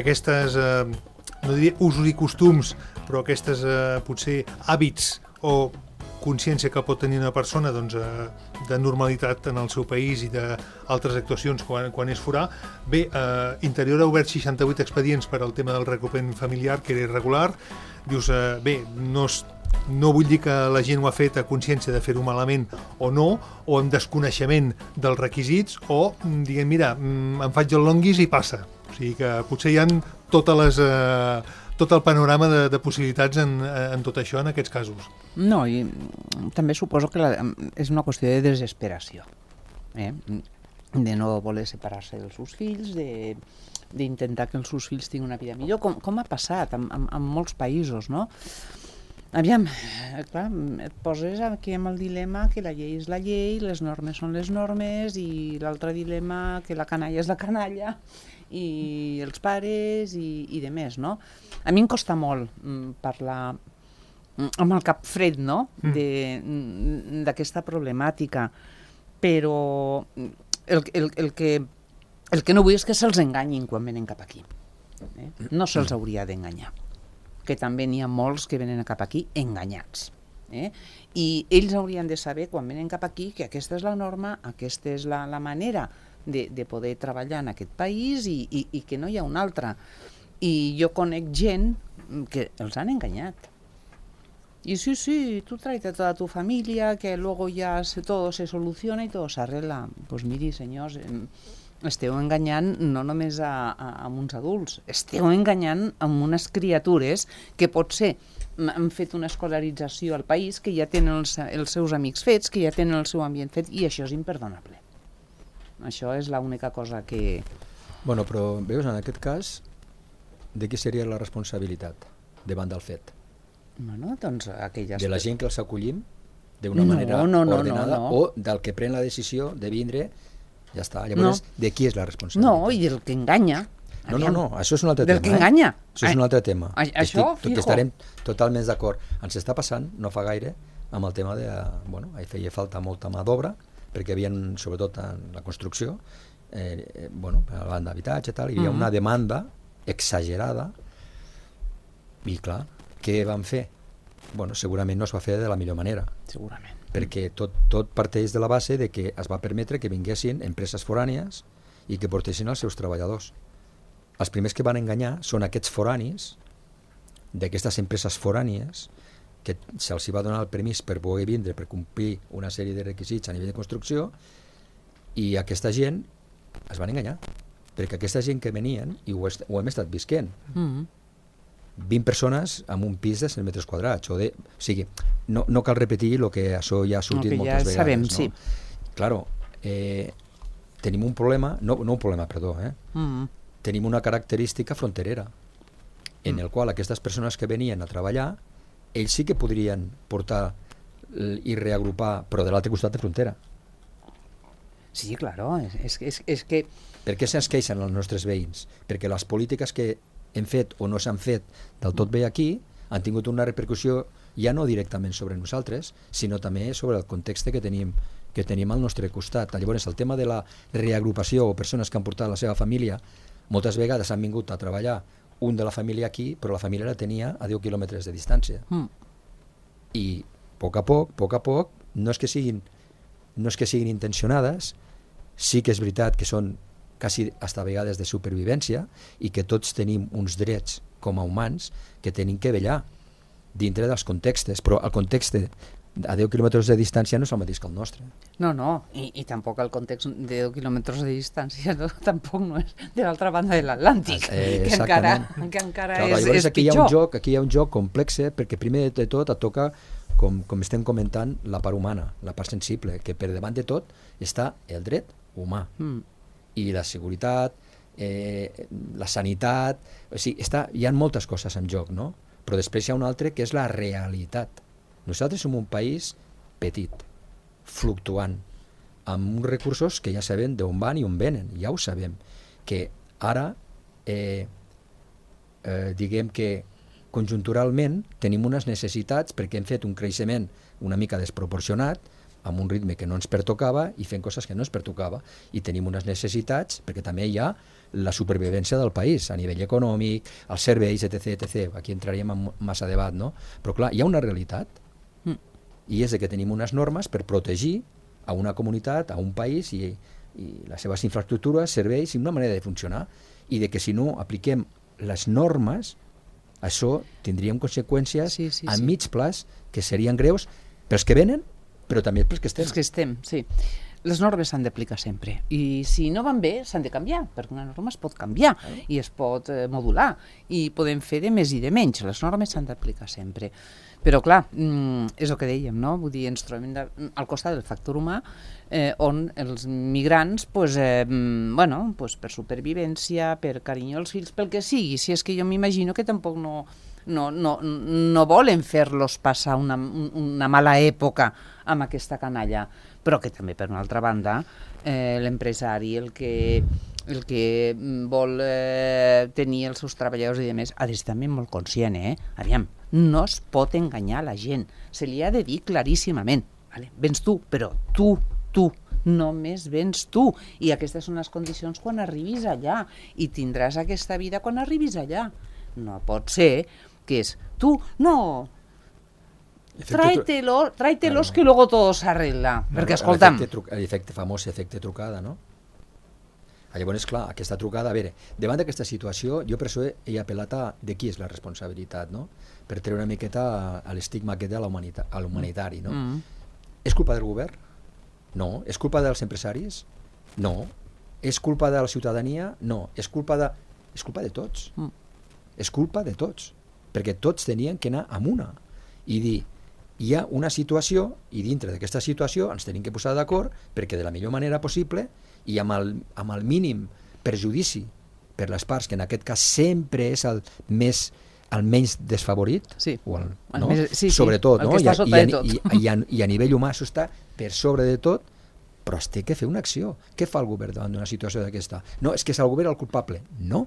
aquestes, eh, no diria usos i costums, però aquestes eh, potser hàbits o consciència que pot tenir una persona doncs, eh, de normalitat en el seu país i d'altres actuacions quan, quan és forà. Bé, eh, Interior ha obert seixanta-vuit expedients per al tema del reagrupament familiar, que era irregular. Dius, eh, bé, no es No vull dir que la gent ho ha fet a consciència de fer-ho malament o no, o amb desconeixement dels requisits, o diguem, mira, em faig el longuis i passa. O sigui que potser hi ha totes les, eh, tot el panorama de, de possibilitats en, en tot això en aquests casos. No, i també suposo que la, és una qüestió de desesperació, eh? De no voler separar-se dels seus fills, de d'intentar que els seus fills tinguin una vida millor, com, com ha passat en, en, en molts països, no? Aviam, clar, et poses aquí amb el dilema que la llei és la llei, les normes són les normes, i l'altre dilema que la canalla és la canalla, i els pares, i, i de més, no? A mi em costa molt mm, parlar amb el cap fred, no?, mm. d'aquesta problemàtica, però el, el, el, que, el que no vull és que se'ls enganyin quan venen cap aquí. Eh? No se'ls hauria d'enganyar, que també n'hi ha molts que venen cap aquí enganyats. Eh? I ells haurien de saber, quan venen cap aquí, que aquesta és la norma, aquesta és la, la manera de, de poder treballar en aquest país i, i, i que no hi ha una altra. I jo conec gent que els han enganyat. I sí, sí, tú tráete a toda tu familia, que luego ya se, todo se soluciona y todo se arregla. Pues miri, senyors, eh, esteu enganyant no només a, a, a uns adults, esteu enganyant amb unes criatures que potser han fet una escolarització al país, que ja tenen els, els seus amics fets, que ja tenen el seu ambient fet, i això és imperdonable. Això és l'única cosa que... Bueno, però veus, en aquest cas, de qui seria la responsabilitat davant del fet? Bueno, doncs aquelles... De la gent que els acollim d'una no, manera no, no, ordenada, no, no. o del que pren la decisió de vindre. Ja està. Llavors, no. De qui és la responsabilitat? No, i del que enganya. No, no, no, això és un altre del tema. Del que enganya. Eh? Això és un altre tema. A, això, Estic, fijo. Que estarem totalment d'acord. Ens està passant, no fa gaire, amb el tema de... Bueno, hi feia falta molta mà d'obra, perquè hi havia, sobretot en la construcció, eh, eh, bueno, a la banda d'habitatge i tal, hi havia mm-hmm. una demanda exagerada, i clar, què van fer? Bueno, segurament no es va fer de la millor manera. Segurament. Perquè tot, tot parteix de la base de que es va permetre que vinguessin empreses forànies i que portessin els seus treballadors. Els primers que van enganyar són aquests foranis, d'aquestes empreses forànies, que se'ls va donar el permís per poder vindre, per complir una sèrie de requisits a nivell de construcció, i aquesta gent es van enganyar, perquè aquesta gent que venien, i ho, est ho hem estat visquent, mm-hmm. vint persones amb un pis de cent metres quadrats. O, de, o sigui, no, no cal repetir el que això ja ha sortit no, moltes ja vegades. Sabem, no? Sí. Claro, eh, tenim un problema, no, no un problema, perdó, eh? Mm. Tenim una característica fronterera, en mm. el qual aquestes persones que venien a treballar, ells sí que podrien portar i reagrupar, però de l'altre costat de frontera. Sí, claro, és, és, és que... Per què se'ns queixen els nostres veïns? Perquè les polítiques que hem fet o no s'han fet del tot bé aquí han tingut una repercussió ja no directament sobre nosaltres, sinó també sobre el context que tenim, que tenim al nostre costat. Llavors, el tema de la reagrupació o persones que han portat la seva família, moltes vegades han vingut a treballar un de la família aquí, però la família la tenia a deu quilòmetres de distància. Mm. I a poc a poc, a poc a poc, no és que siguin, no és que siguin intencionades, sí que és veritat que són quasi hasta vegades de supervivència i que tots tenim uns drets com a humans que tenim que vetllar dintre dels contextes, però el context a deu quilòmetres de distància no és el mateix que el nostre. No, no, i, i tampoc el context de deu quilòmetres de distància no, tampoc no és de l'altra banda de l'Atlàntic, eh, que encara, que encara clar, és, és aquí pitjor. Hi ha un joc, aquí hi ha un joc complex, perquè primer de tot et toca, com, com estem comentant, la part humana, la part sensible, que per davant de tot està el dret humà. Mm. I la seguretat, eh, la sanitat, o sigui, està, hi ha moltes coses en joc, no? Però després hi ha un altre que és la realitat. Nosaltres som un país petit, fluctuant, amb uns recursos que ja sabem d'on van i on venen, ja ho sabem, que ara, eh, eh, diguem que conjunturalment tenim unes necessitats perquè hem fet un creixement una mica desproporcionat, amb un ritme que no ens pertocava i fent coses que no ens pertocava, i tenim unes necessitats perquè també hi ha la supervivència del país a nivell econòmic, els serveis, etc, etcètera. Aquí entraríem en massa debat, no? Però clar, hi ha una realitat, mm. i és que tenim unes normes per protegir a una comunitat, a un país i, i les seves infraestructures, serveis i una manera de funcionar, i de que si no apliquem les normes, això tindríem conseqüències sí, sí, a sí. mig plaç que serien greus pels que venen, però també pels que estem. Els que estem, sí. Les normes s'han d'aplicar sempre i si no van bé s'han de canviar, perquè una norma es pot canviar eh? i es pot eh, modular i podem fer de més i de menys. Les normes s'han d'aplicar sempre. Però clar, mm, és el que dèiem, no? Vull dir, ens trobem de, al costat del factor humà eh, on els migrants pues, eh, bueno, pues, per supervivència, per carinyo als fills, pel que sigui, si és que jo m'imagino que tampoc no, no, no, no volen fer-los passar una, una mala època amb aquesta canalla, però que també, per una altra banda, eh, l'empresari, el que, el que vol eh, tenir els seus treballadors i demés, ha d'estar també molt conscient, eh? Aviam, no es pot enganyar la gent, se li ha de dir claríssimament, vale? Vens tu, però tu, tu, només vens tu, i aquestes són les condicions quan arribis allà, i tindràs aquesta vida quan arribis allà. No pot ser que és tu, no... Tráetelos, tráetelos claro. Que luego todo se arregla. No, perquè, escolta'm... L'efecte famós, efecte trucada, no? Llavors, clar, aquesta trucada... A veure, davant d'aquesta situació, jo per això he apel·lat a de qui és la responsabilitat, no? Per treure una miqueta a l'estigma aquest de l'humanitari, no? Mm. És culpa del govern? No. És culpa dels empresaris? No. És culpa de la ciutadania? No. És culpa de... És culpa de tots. Mm. És culpa de tots. Perquè tots tenien que anar amb una. I dir... Hi ha una situació, i dintre d'aquesta situació ens tenim que posar d'acord perquè de la millor manera possible i amb el, amb el mínim perjudici per les parts, que en aquest cas sempre és el més el menys desfavorit, sí. o el, el no? més, sí, sí. sobretot, el no? que està sota I, de tot. I, i, i, a, i a nivell humà això està per sobre de tot, però es té que fer una acció. Què fa el govern davant d'una situació d'aquesta? No, és que és el govern el culpable. No.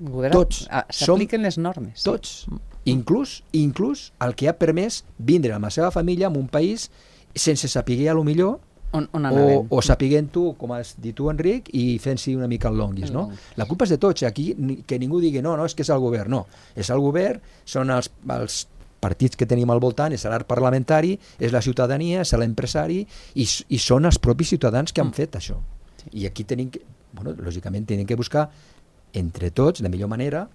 Govern, tots. S'apliquen les normes. Tots. Inclús, inclús el que ha permès vindre amb la seva família en un país sense saber a lo millor on, on o, o sapiguent tu, com has dit tu, Enric, i fent-s'hi una mica el longuis, no? La culpa és de tots, aquí que ningú digui no, no, és que és el govern, no. És el govern, són els, els partits que tenim al voltant, és l'art parlamentari, és la ciutadania, és l'empresari, i, i són els propis ciutadans que han fet això. Sí. I aquí tenim que, bueno, lògicament tenim que buscar entre tots la millor manera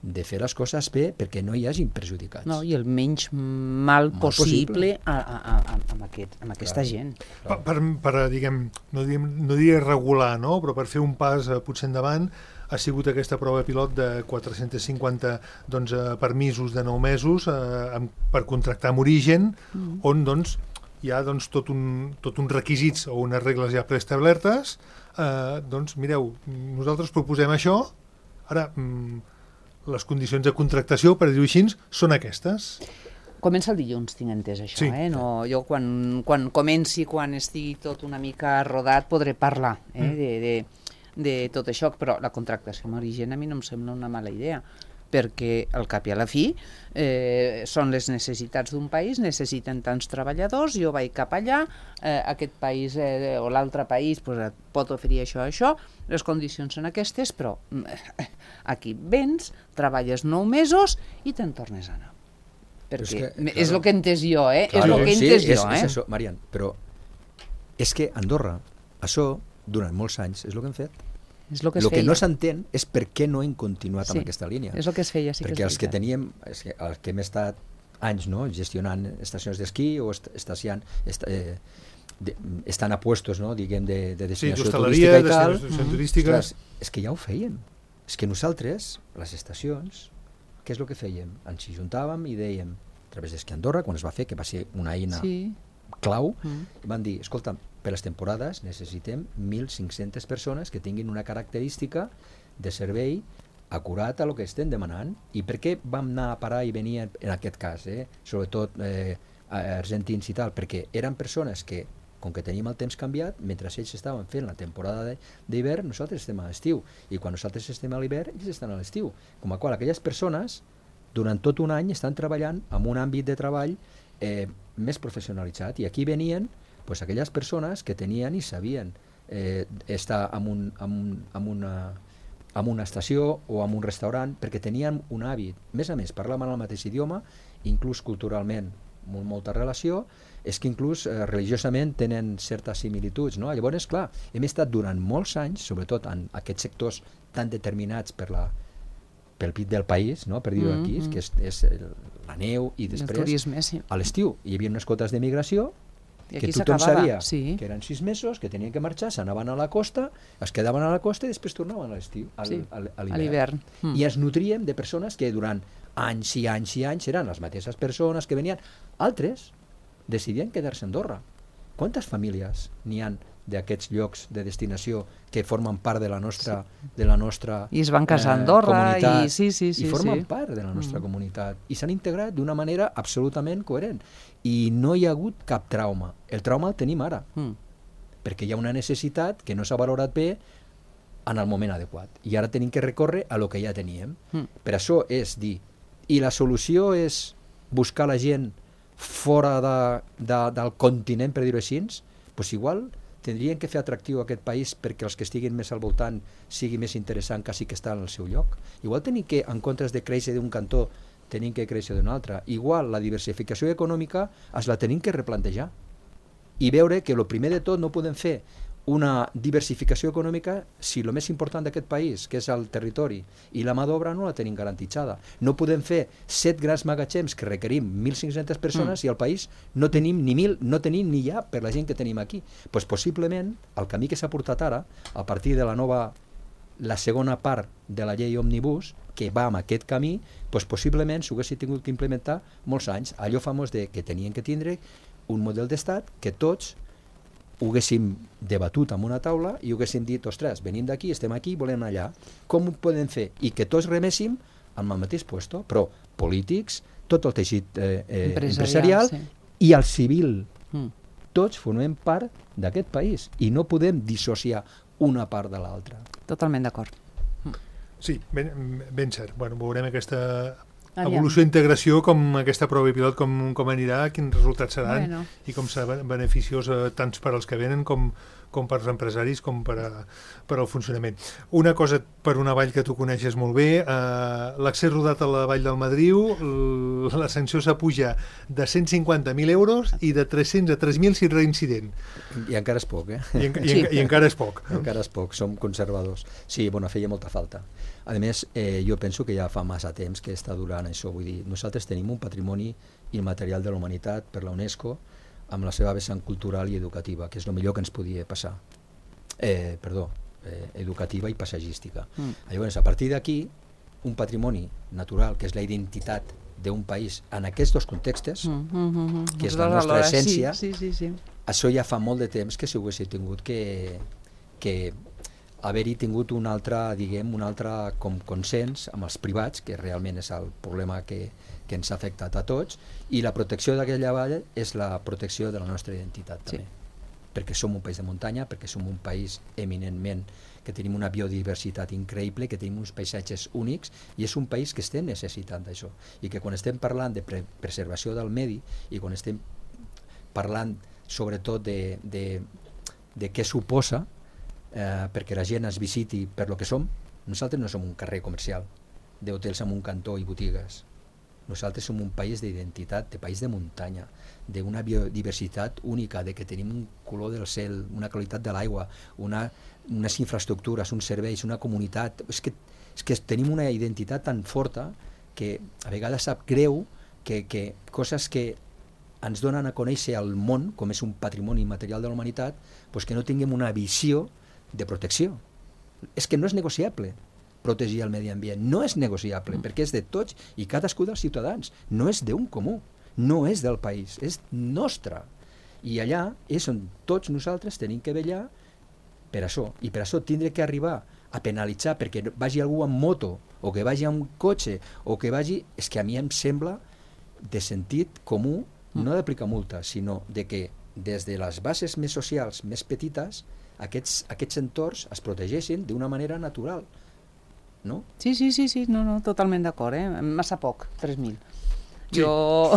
de fer les coses bé perquè no hi hagin perjudicats. No, i el menys mal, mal possible, possible. A, a, a, amb, aquest, amb aquesta clar, gent. Clar. Per, per, diguem, no diguem, no diré regular, no? Però per fer un pas eh, potser endavant, ha sigut aquesta prova pilot de quatre-cents cinquanta doncs, eh, permisos de nou mesos eh, amb, per contractar amb origen, mm. on doncs, hi ha doncs, tot, un, tot uns requisits o unes regles ja preestablertes. Eh, doncs, mireu, nosaltres proposem això, ara... Mm, les condicions de contractació, per dir-ho així, són aquestes. Comença el dilluns, tinc entès això. Sí. Eh? No, jo quan, quan comenci, quan estigui tot una mica rodat, podré parlar eh? mm. de, de, de tot això, però la contractació amb origen a mi no em sembla una mala idea, perquè al cap i a la fi eh, són les necessitats d'un país, necessiten tants treballadors, jo vaig cap allà, eh, aquest país eh, o l'altre país pues, pot oferir això, això, les condicions són aquestes, però eh, aquí vens, treballes nou mesos i te'n tornes a anar. perquè és, que, claro, és el que he entès jo, eh? Claro, és el que he sí, entès és, jo, eh? És això, Marian, però és que Andorra, això, durant molts anys, és el que hem fet. És el que, el que no s'entén és per què no hem continuat sí, amb aquesta línia. És el que es feia, sí que perquè és els que teníem, els que, els que hem estat anys, no?, gestionant estacions d'esquí o est estaciant, est eh, de, estan a puestos, no?, diguem, de, de destinació sí, turística i tal. Mm. turística. Ostres, és que ja ho fèiem. És que nosaltres, les estacions, què és el que fèiem? Ens hi juntàvem i dèiem, a través d'Esquí Andorra, quan es va fer, que va ser una eina sí. clau, mm. van dir, escolta, per les temporades necessitem mil cinc-centes persones que tinguin una característica de servei acurat a el que estem demanant. I per què vam anar a parar i venir en aquest cas, eh? sobretot eh, argentins i tal? Perquè eren persones que, com que teníem el temps canviat, mentre ells estaven fent la temporada d'hivern, nosaltres estem a l'estiu, i quan nosaltres estem a l'hivern, ells estan a l'estiu. Com a qual aquelles persones, durant tot un any, estan treballant en un àmbit de treball eh, més professionalitzat, i aquí venien pues, aquelles persones que tenien i sabien eh, estar en, un, en, un, en, una, en una estació o en un restaurant, perquè tenien un hàbit. Més a més, parlaven el mateix idioma, inclús culturalment, molt, molta relació, és que inclús eh, religiosament tenen certes similituds, no? Llavors, clar, hem estat durant molts anys, sobretot en aquests sectors tan determinats per la, pel pit del país, no? Per dir-ho aquí, mm -hmm. que és, és el, la neu, i després, turisme, sí. a l'estiu, hi havia unes quotes de migració I que tothom sabia sí. que eren sis mesos, que tenien que marxar, s'anaven a la costa, es quedaven a la costa i després tornaven a l'estiu, sí. a l'hivern. Mm. I ens nutríem de persones que durant anys i anys i anys eren les mateixes persones que venien. Altres decidien quedar-se a Andorra. Quantes famílies n'hi han d'aquests llocs de destinació que formen part de la nostra, sí. de la nostra I es van casar a Andorra, eh, i, sí, sí, sí, i formen sí. part de la nostra mm. comunitat, i s'han integrat d'una manera absolutament coherent, i no hi ha hagut cap trauma. El trauma el tenim ara, mm. perquè hi ha una necessitat que no s'ha valorat bé en el moment adequat, i ara tenim que recórrer a lo que ja teníem. Mm. Per això és dir, i la solució és buscar la gent fora de, de, del continent, per dir-ho així, doncs igual tindrien que fer atractiu aquest país perquè els que estiguin més al voltant sigui més interessant quasi que estar al seu lloc. Igual tenim que, en comptes de créixer d'un cantó, tenim que créixer d'un altre. Igual la diversificació econòmica es la tenim que replantejar i veure que el primer de tot no podem fer una diversificació econòmica si el més important d'aquest país, que és el territori, i la mà d'obra no la tenim garantitzada. No podem fer set grans magatzems que requerim mil cinc-centes persones mm. i al país no tenim ni mil, no tenim ni ja per la gent que tenim aquí. Pues possiblement el camí que s'ha portat ara, a partir de la nova, la segona part de la llei Òmnibus, que va amb aquest camí, pues possiblement s'ho haguessin tingut que implementar molts anys. Allò famós de que tenien que tindre un model d'estat que tots ho haguéssim debatut en una taula i ho haguéssim dit, ostres, venim d'aquí, estem aquí, volem anar allà. Com ho podem fer? I que tots reméssim amb el mateix puesto, però polítics, tot el teixit eh, eh, empresarial, empresarial sí. i el civil. Mm. Tots formem part d'aquest país i no podem dissociar una part de l'altra. Totalment d'acord. Sí, ben, ben cert. Bueno, veurem aquesta evolució i integració, com aquesta prova pilot, com, com anirà, quins resultats seran, bueno. i com serà beneficiós eh, tant per als que venen com, com per als empresaris, com per, a, per al funcionament. Una cosa per una vall que tu coneixes molt bé, eh, l'accés rodat a la vall del Madriu, la sanció s'apuja de cent cinquanta mil euros i de tres-cents a tres mil si reincident. I encara és poc, eh? I, en, i, sí. i encara és poc. No? Encara és poc, som conservadors. Sí, bueno, feia molta falta. A més, eh, jo penso que ja fa massa temps que està durant això, vull dir, nosaltres tenim un patrimoni immaterial de la humanitat per la UNESCO amb la seva vessant cultural i educativa, que és el millor que ens podia passar. Eh, perdó, eh, educativa i paisatgística. Mm. Llavors, a partir d'aquí, un patrimoni natural, que és la identitat d'un país en aquests dos contextes, mm, mm, mm, que és la nostra essència, sí, sí, sí, sí. Això ja fa molt de temps que si ho haguéssim tingut que, que haver-hi tingut un altre, diguem, un altre com consens amb els privats, que realment és el problema que, que ens ha afectat a tots, i la protecció d'aquella vall és la protecció de la nostra identitat també. Sí. Perquè som un país de muntanya, perquè som un país eminentment que tenim una biodiversitat increïble, que tenim uns paisatges únics, i és un país que estem necessitant d'això. I que quan estem parlant de pre preservació del medi, i quan estem parlant sobretot de, de, de què suposa eh, perquè la gent es visiti per lo que som, nosaltres no som un carrer comercial d'hotels amb un cantó i botigues. Nosaltres som un país d'identitat, de país de muntanya, d'una biodiversitat única, de que tenim un color del cel, una qualitat de l'aigua, una, unes infraestructures, uns serveis, una comunitat. És que, és que tenim una identitat tan forta que a vegades sap greu que, que coses que ens donen a conèixer el món, com és un patrimoni material de la humanitat, doncs que no tinguem una visió de protecció. És que no és negociable protegir el medi ambient, no és negociable, perquè és de tots i cadascú dels ciutadans, no és d'un comú, no és del país, és nostre. I allà és on tots nosaltres tenim que vetllar per això, i per això tindre que arribar a penalitzar perquè vagi algú amb moto, o que vagi amb cotxe, o que vagi... És que a mi em sembla de sentit comú, no d'aplicar multa, sinó de que des de les bases més socials, més petites, aquests, aquests entorns es protegeixin d'una manera natural. No? Sí, sí, sí, sí, no, no, totalment d'acord, eh? Massa poc, tres mil. Sí. Jo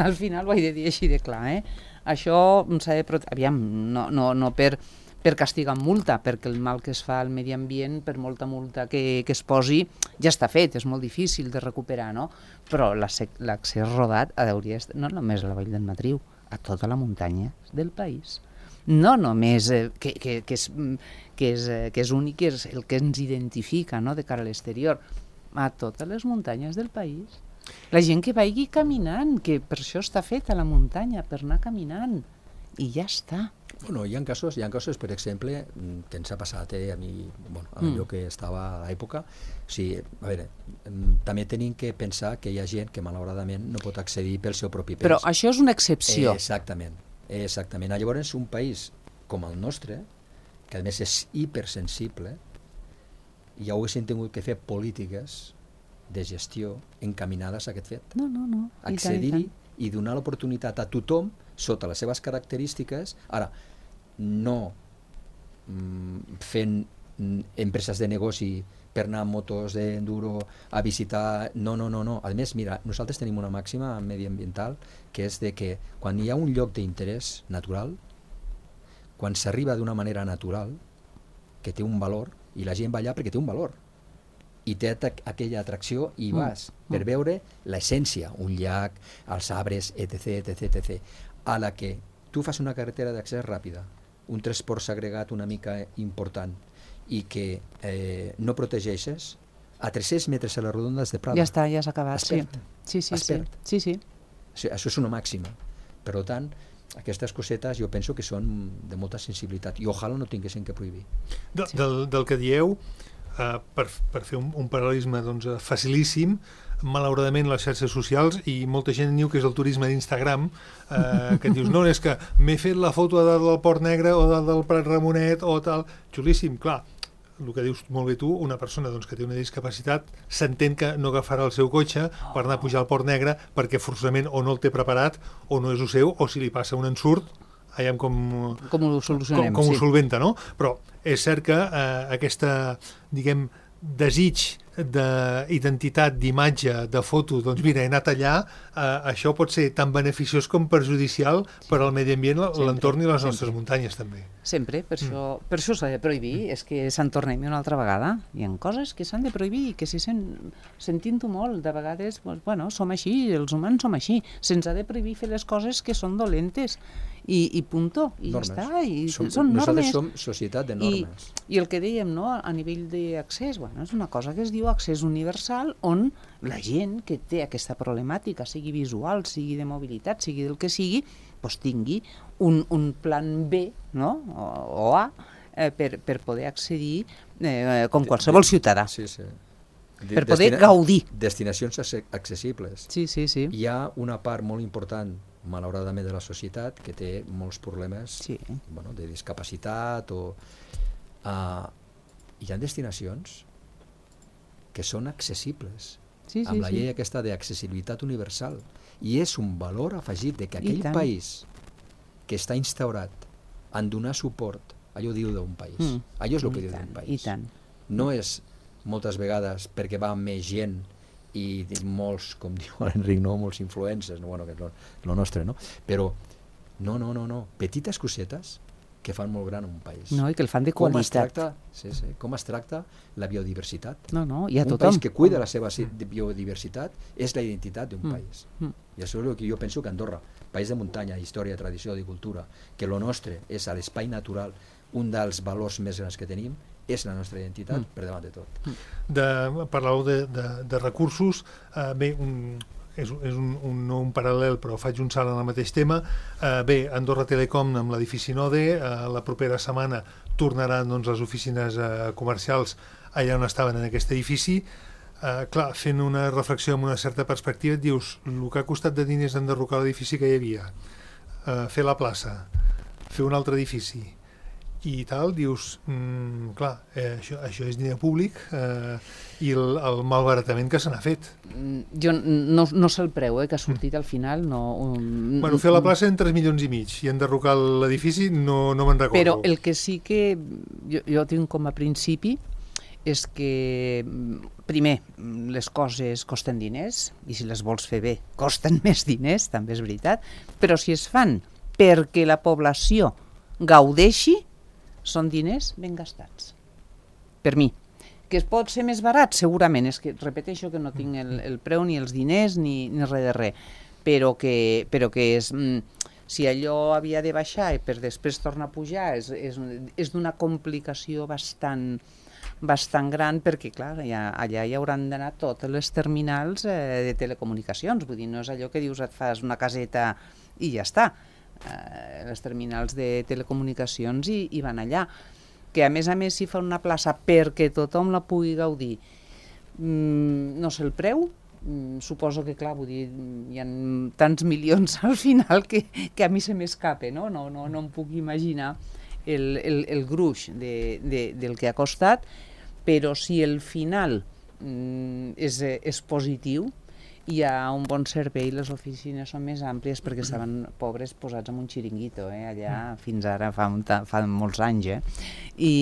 al final ho he de dir així de clar, eh? Això s'ha de protegir, aviam, no, no, no per, per castigar amb multa, perquè el mal que es fa al medi ambient, per molta multa que, que es posi, ja està fet, és molt difícil de recuperar, no? Però l'accés rodat hauria d'estar, no només a la Vall del Matriu, a tota la muntanya del país. No només eh, que, que, que, és, que, és, eh, que és únic, que és el que ens identifica, no?, de cara a l'exterior, a totes les muntanyes del país. La gent que vagi caminant, que per això està feta la muntanya, per anar caminant, i ja està. Bueno, hi ha casos, hi ha casos, per exemple, que ens ha passat eh, a mi, bueno, a allò mm. que estava a l'època. O sigui, a veure, també tenim que pensar que hi ha gent que malauradament no pot accedir pel seu propi pes. Però això és una excepció. Eh, exactament. Exactament. Llavors, un país com el nostre, que a més és hipersensible, ja ho haguessin tingut que fer polítiques de gestió encaminades a aquest fet. No, no, no. Accedir-hi i, i donar l'oportunitat a tothom sota les seves característiques. Ara, no mm, fent mm, empreses de negoci per anar amb motos d'enduro a visitar... No, no, no, no. A més, mira, nosaltres tenim una màxima mediambiental que és de que quan hi ha un lloc d'interès natural, quan s'arriba d'una manera natural, que té un valor, i la gent va allà perquè té un valor, i té aquella atracció i vas mm. per veure l'essència, un llac, els arbres, etc, etc, etc. A la que tu fas una carretera d'accés ràpida, un transport segregat una mica important, i que eh, no protegeixes, a tres-cents metres a les redondes de Prada. Ja està, ja s'ha acabat. Sí. Sí, sí, sí. sí, sí. Això és una màxima. Per tant, aquestes cosetes jo penso que són de molta sensibilitat i ojalà no tinguessin que prohibir. De, sí. del, del que dieu, uh, per, per fer un, un paral·lelisme doncs, facilíssim, malauradament les xarxes socials, i molta gent diu que és el turisme d'Instagram, eh, que et dius, no, és que m'he fet la foto a dalt del Port Negre o dalt del Prat Ramonet o tal, xulíssim, clar, el que dius molt bé tu, una persona doncs, que té una discapacitat s'entén que no agafarà el seu cotxe per anar a pujar al Port Negre perquè forçosament o no el té preparat o no és el seu, o si li passa un ensurt veiem com, com ho solucionem, com, com sí. ho solventa, no? Però és cert que eh, aquesta, diguem, desig d'identitat, d'imatge, de foto, doncs mira, he anat allà, eh, això pot ser tan beneficiós com perjudicial sí. per al medi ambient, l'entorn i les nostres sempre. muntanyes també. Sempre, per mm. això, per això s'ha de prohibir, mm. és que se'n tornem una altra vegada, hi ha coses que s'han de prohibir, que si sen, sentint-ho molt, de vegades, doncs, bueno, som així, els humans som així, se'ns ha de prohibir fer les coses que són dolentes, i, i punto, i normes. Ja està, i som, són normes. Nosaltres som societat de normes. I, i el que dèiem, no?, a nivell d'accés, bueno, és una cosa que es diu accés universal, on la gent que té aquesta problemàtica, sigui visual, sigui de mobilitat, sigui del que sigui, doncs tingui un, un plan B, no?, o, o A, eh, per, per poder accedir eh, com qualsevol ciutadà. Sí, sí. Per poder Destina gaudir. Destinacions accessibles. Sí, sí, sí. Hi ha una part molt important, malauradament, de la societat que té molts problemes sí. bueno, de discapacitat o... Uh, hi ha destinacions que són accessibles sí, sí, amb la llei sí. aquesta d'accessibilitat universal, i és un valor afegit de que aquell país que està instaurat en donar suport, allò diu d'un país, mm. allò és el que I diu d'un país. I tant. No és moltes vegades perquè va més gent i molts, com diu l'Enric, no, molts influencers, no, bueno, que és lo, lo nostre, no? Però no, no, no, no, petites cosetes que fan molt gran un país. No, i que el fan de Com es qualitat. tracta, sí, sí, com es tracta la biodiversitat. No, no, i a Un tothom. país que cuida la seva si- biodiversitat és la identitat d'un Mm. país. Mm. I això és el que jo penso que Andorra, país de muntanya, història, tradició i cultura, que lo nostre és a l'espai natural, un dels valors més grans que tenim, és la nostra identitat Mm. per davant de tot. De, parlàveu de, de, de recursos, eh, bé, un, és, és un, un, no un paral·lel, però faig un salt en el mateix tema. Eh, bé, Andorra Telecom amb l'edifici Node, eh, la propera setmana tornaran doncs, les oficines eh, comercials allà on estaven en aquest edifici. Eh, clar, fent una reflexió amb una certa perspectiva, et dius, el que ha costat de diners enderrocar l'edifici que hi havia, eh, fer la plaça, fer un altre edifici, i tal, dius, mm, clar, eh, això, això és diner públic eh, i el, el malbaratament que se n'ha fet. Mm, Jo no, no sé el preu eh, que ha sortit al final. No, um, Bueno, fer la plaça en tres milions i mig i enderrocar l'edifici no, no me'n recordo. Però el que sí que jo, jo tinc com a principi és que, primer, les coses costen diners, i si les vols fer bé costen més diners, també és veritat, però si es fan perquè la població gaudeixi, són diners ben gastats. Per mi. Que es pot ser més barat? Segurament. És que repeteixo que no tinc el, el preu ni els diners ni, ni res de res, però que, però que és... Mm, si allò havia de baixar i per després tornar a pujar, és, és, és d'una complicació bastant, bastant gran, perquè clar, allà, allà hi hauran d'anar totes les terminals eh, de telecomunicacions, vull dir, no és allò que dius et fas una caseta i ja està. Eh, les terminals de telecomunicacions i, i van allà, que a més a més si fa una plaça perquè tothom la pugui gaudir, mm, no sé el preu, mm, suposo que clar, vull dir, hi ha tants milions al final que, que a mi se m'escape, no? No, no, no em puc imaginar el, el, el gruix de, de, del que ha costat, però si el final mm, és, és positiu, hi ha un bon servei, les oficines són més àmplies perquè estaven pobres posats en un xiringuito, eh, allà fins ara, fa, un fa molts anys, eh? I,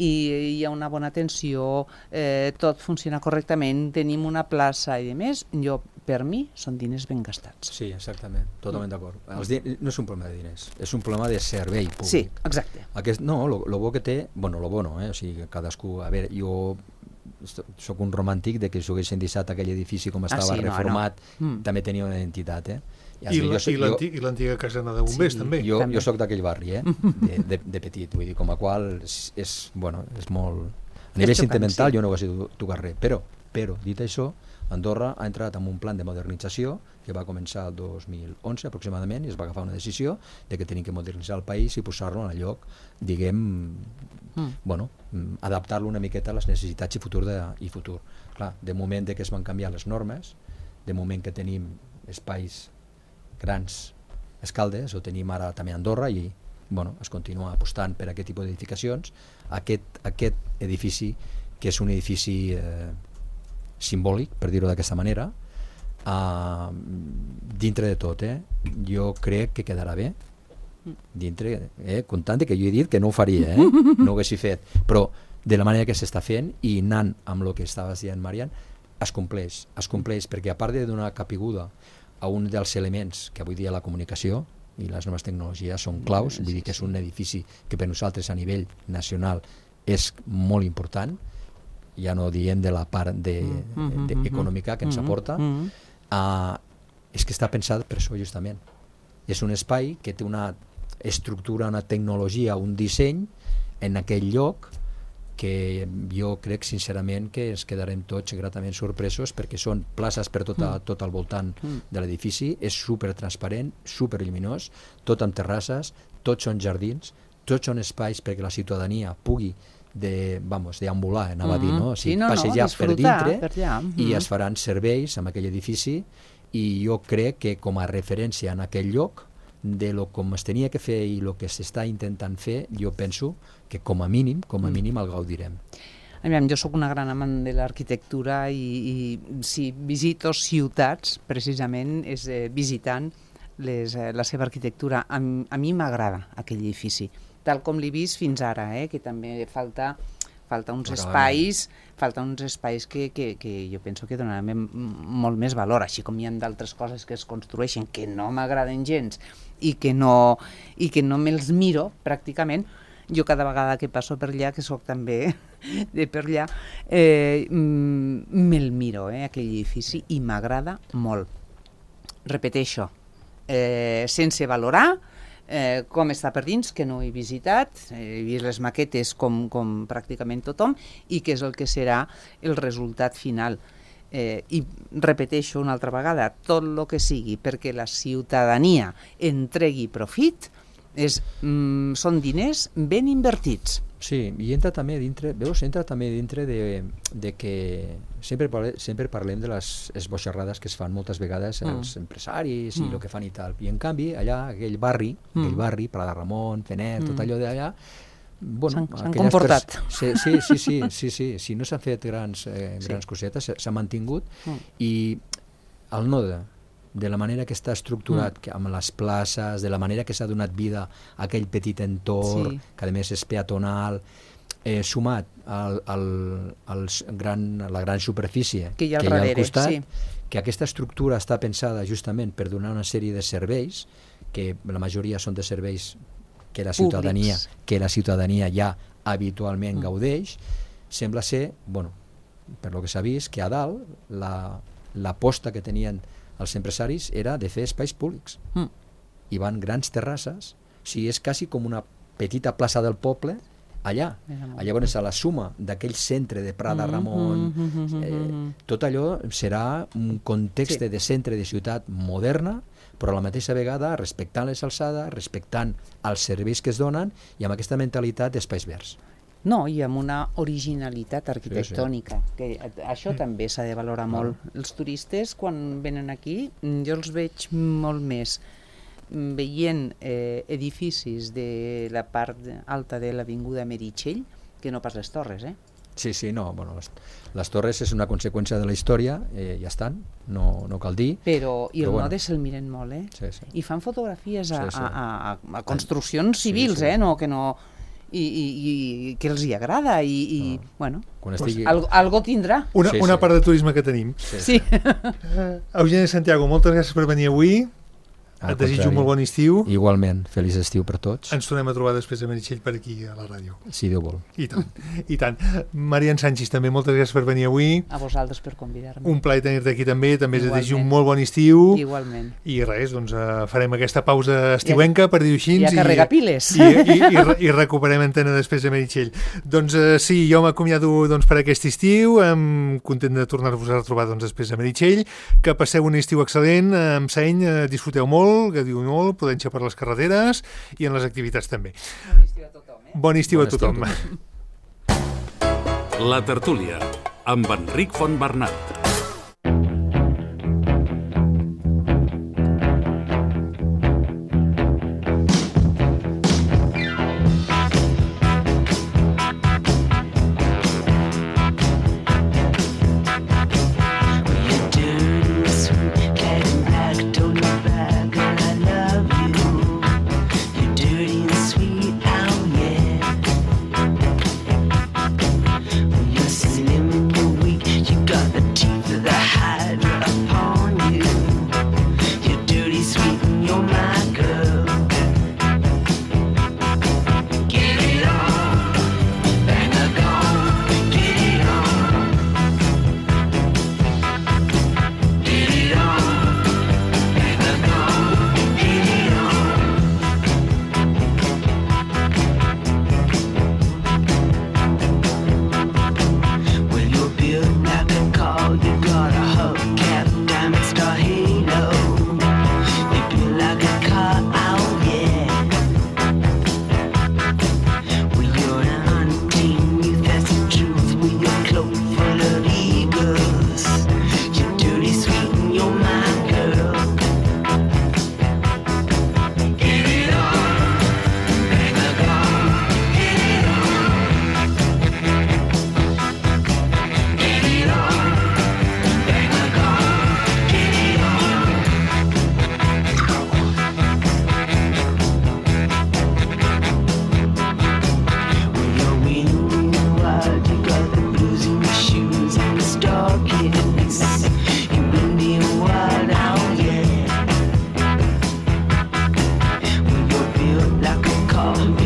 i hi ha una bona atenció, eh, tot funciona correctament, tenim una plaça i de més, jo, per mi, són diners ben gastats. Sí, exactament, totalment d'acord. Els di- No és un problema de diners, és un problema de servei públic. Sí, exacte. Aquest, no, lo, lo bo que té, bueno, lo bo no, eh? O sigui, cadascú, a veure, jo sóc un romàntic de que si ho haguessin deixat aquell edifici com estava sí, no, reformat, no. Mm. també tenia una identitat, eh? I, la, i, l'anti- i l'antiga casena de bombers, Sí, també. Jo, També. jo sóc d'aquell barri, eh? de, de, de petit, vull dir, com a qual és, és, bueno, és molt... A nivell xocant, sentimental sí. jo no ho hagués tocat res, però, però, dit això, Andorra ha entrat en un plan de modernització que va començar el dos mil onze aproximadament i es va agafar una decisió de que tenim que modernitzar el país i posar-lo en el lloc, diguem, Mm. bueno, mm, adaptar-lo una miqueta a les necessitats i futur de, i futur. Clar, de moment de que es van canviar les normes, de moment que tenim espais grans escaldes, o tenim ara també Andorra i bueno, es continua apostant per aquest tipus d'edificacions, aquest, aquest edifici que és un edifici eh, simbòlic, per dir-ho d'aquesta manera, uh, dintre de tot, eh, jo crec que quedarà bé, dintre, eh, comptant que jo he dit que no ho faria, eh, no ho haguessi fet, però de la manera que s'està fent i anant amb el que estaves dient, Marian, es compleix, es compleix, perquè a part de donar capiguda a un dels elements que avui dia la comunicació i les noves tecnologies són claus, vull dir que és un edifici que per nosaltres a nivell nacional és molt important, ja no diem de la part de, de, de econòmica que ens aporta, uh, és que està pensat per això justament. És un espai que té una estructura, una tecnologia, un disseny en aquell lloc que jo crec sincerament que ens quedarem tots gratament sorpresos perquè són places per tot, a, tot al voltant de l'edifici, és super transparent, super lluminós, tot amb terrasses, tots són jardins, tots són espais perquè la ciutadania pugui de, vamos, deambular, anava a dir, no? O sigui, sí, no, passejar no, per dintre per allà. i es faran serveis en aquell edifici i jo crec que com a referència en aquell lloc de lo com es tenia que fer i el que s'està intentant fer, jo penso que com a mínim, com a mínim el gaudirem. Aviam, jo sóc una gran amant de l'arquitectura i, i si visito ciutats, precisament, és eh, visitant les, eh, la seva arquitectura. A, a mi m'agrada aquell edifici, tal com l'he vist fins ara, eh, que també falta falta uns Però, espais, falta uns espais que, que, que jo penso que donaran molt més valor, així com hi ha d'altres coses que es construeixen que no m'agraden gens i que no, i que no me'ls miro pràcticament. Jo cada vegada que passo per allà, que sóc també de per allà, eh, me'l miro, eh, aquell edifici, i m'agrada molt. Repeteixo, eh, sense valorar eh, com està per dins, que no he visitat, he vist les maquetes com, com pràcticament tothom, i què és el que serà el resultat final. Eh, I repeteixo una altra vegada, tot el que sigui perquè la ciutadania entregui profit és, mm, són diners ben invertits. Sí, i entra també dintre, veus, entra també dintre de, de que sempre, parle, sempre parlem de les esboixarrades que es fan moltes vegades mm. els empresaris i el mm. que fan i tal. I en canvi, allà, aquell barri, mm. aquell barri, Pla de Ramon, Fener, mm. tot allò d'allà, bueno, s'han comportat. Sí, sí, sí, sí, sí, sí, sí, no s'han fet grans, eh, grans sí. cosetes, s'ha mantingut mm. i el node, de la manera que està estructurat, mm. que amb les places, de la manera que s'ha donat vida a aquell petit entorn, sí. que a més és peatonal, eh, sumat al, al, al gran, a la gran superfície que hi ha al, que hi ha darrere, al costat, sí. que aquesta estructura està pensada justament per donar una sèrie de serveis, que la majoria són de serveis que la ciutadania, que la ciutadania ja habitualment mm. gaudeix, sembla ser, bueno, per lo que s'ha vist, que a dalt la, l'aposta que tenien els empresaris era de fer espais públics. Mm. Hi van grans terrasses, o sigui, és quasi com una petita plaça del poble allà. Llavors, a la suma d'aquell centre de Pla de Ramon, mm -hmm. eh, tot allò serà un context sí. de centre de ciutat moderna, però a la mateixa vegada respectant les alçades, respectant els serveis que es donen i amb aquesta mentalitat d'espais verds. No, i amb una originalitat arquitectònica, sí, sí. que això també s'ha de valorar molt. Els turistes, quan venen aquí, jo els veig molt més veient eh, edificis de la part alta de l'avinguda Meritxell que no pas les torres, eh? Sí, sí, no, bueno, les, les torres és una conseqüència de la història, eh, ja estan, no, no cal dir. Però, i però el bueno. node se'l miren molt, eh? Sí, sí. I fan fotografies a, sí, sí. a, a, a construccions sí, civils, sí. eh? No, que no... I, i, i que els hi agrada i, i no. bueno, estigui... pues, algo, algo tindrà. Una, sí, una sí. part de turisme que tenim. Sí. sí. Uh, Eugeni Santiago, moltes gràcies per venir avui. Al Et desitjo contrari. un molt bon estiu. Igualment, feliç estiu per tots. Ens tornem a trobar després de Meritxell per aquí a la ràdio. Si Déu vol. I tant, i tant. Marian Sánchez, també moltes gràcies per venir avui. A vosaltres per convidar-me. Un plaer tenir-te aquí també, també Igualment. et desitjo un molt bon estiu. Igualment. I res, doncs uh, farem aquesta pausa estiuenca, per dir-ho així. I a carregar piles. I, i, i, i recuperem antena després de Meritxell. Doncs uh, sí, jo m'acomiado doncs, per aquest estiu, um, content de tornar-vos a retrobar doncs, després de Meritxell. Que passeu un estiu excel·lent, amb seny, uh, disfruteu molt, que diu molt, prudència per les carreteres i en les activitats també. Bon estiu a tothom, eh? Bon estiu bon a tothom. Estiu. La tertúlia, amb Enric Fontbernat. The call me.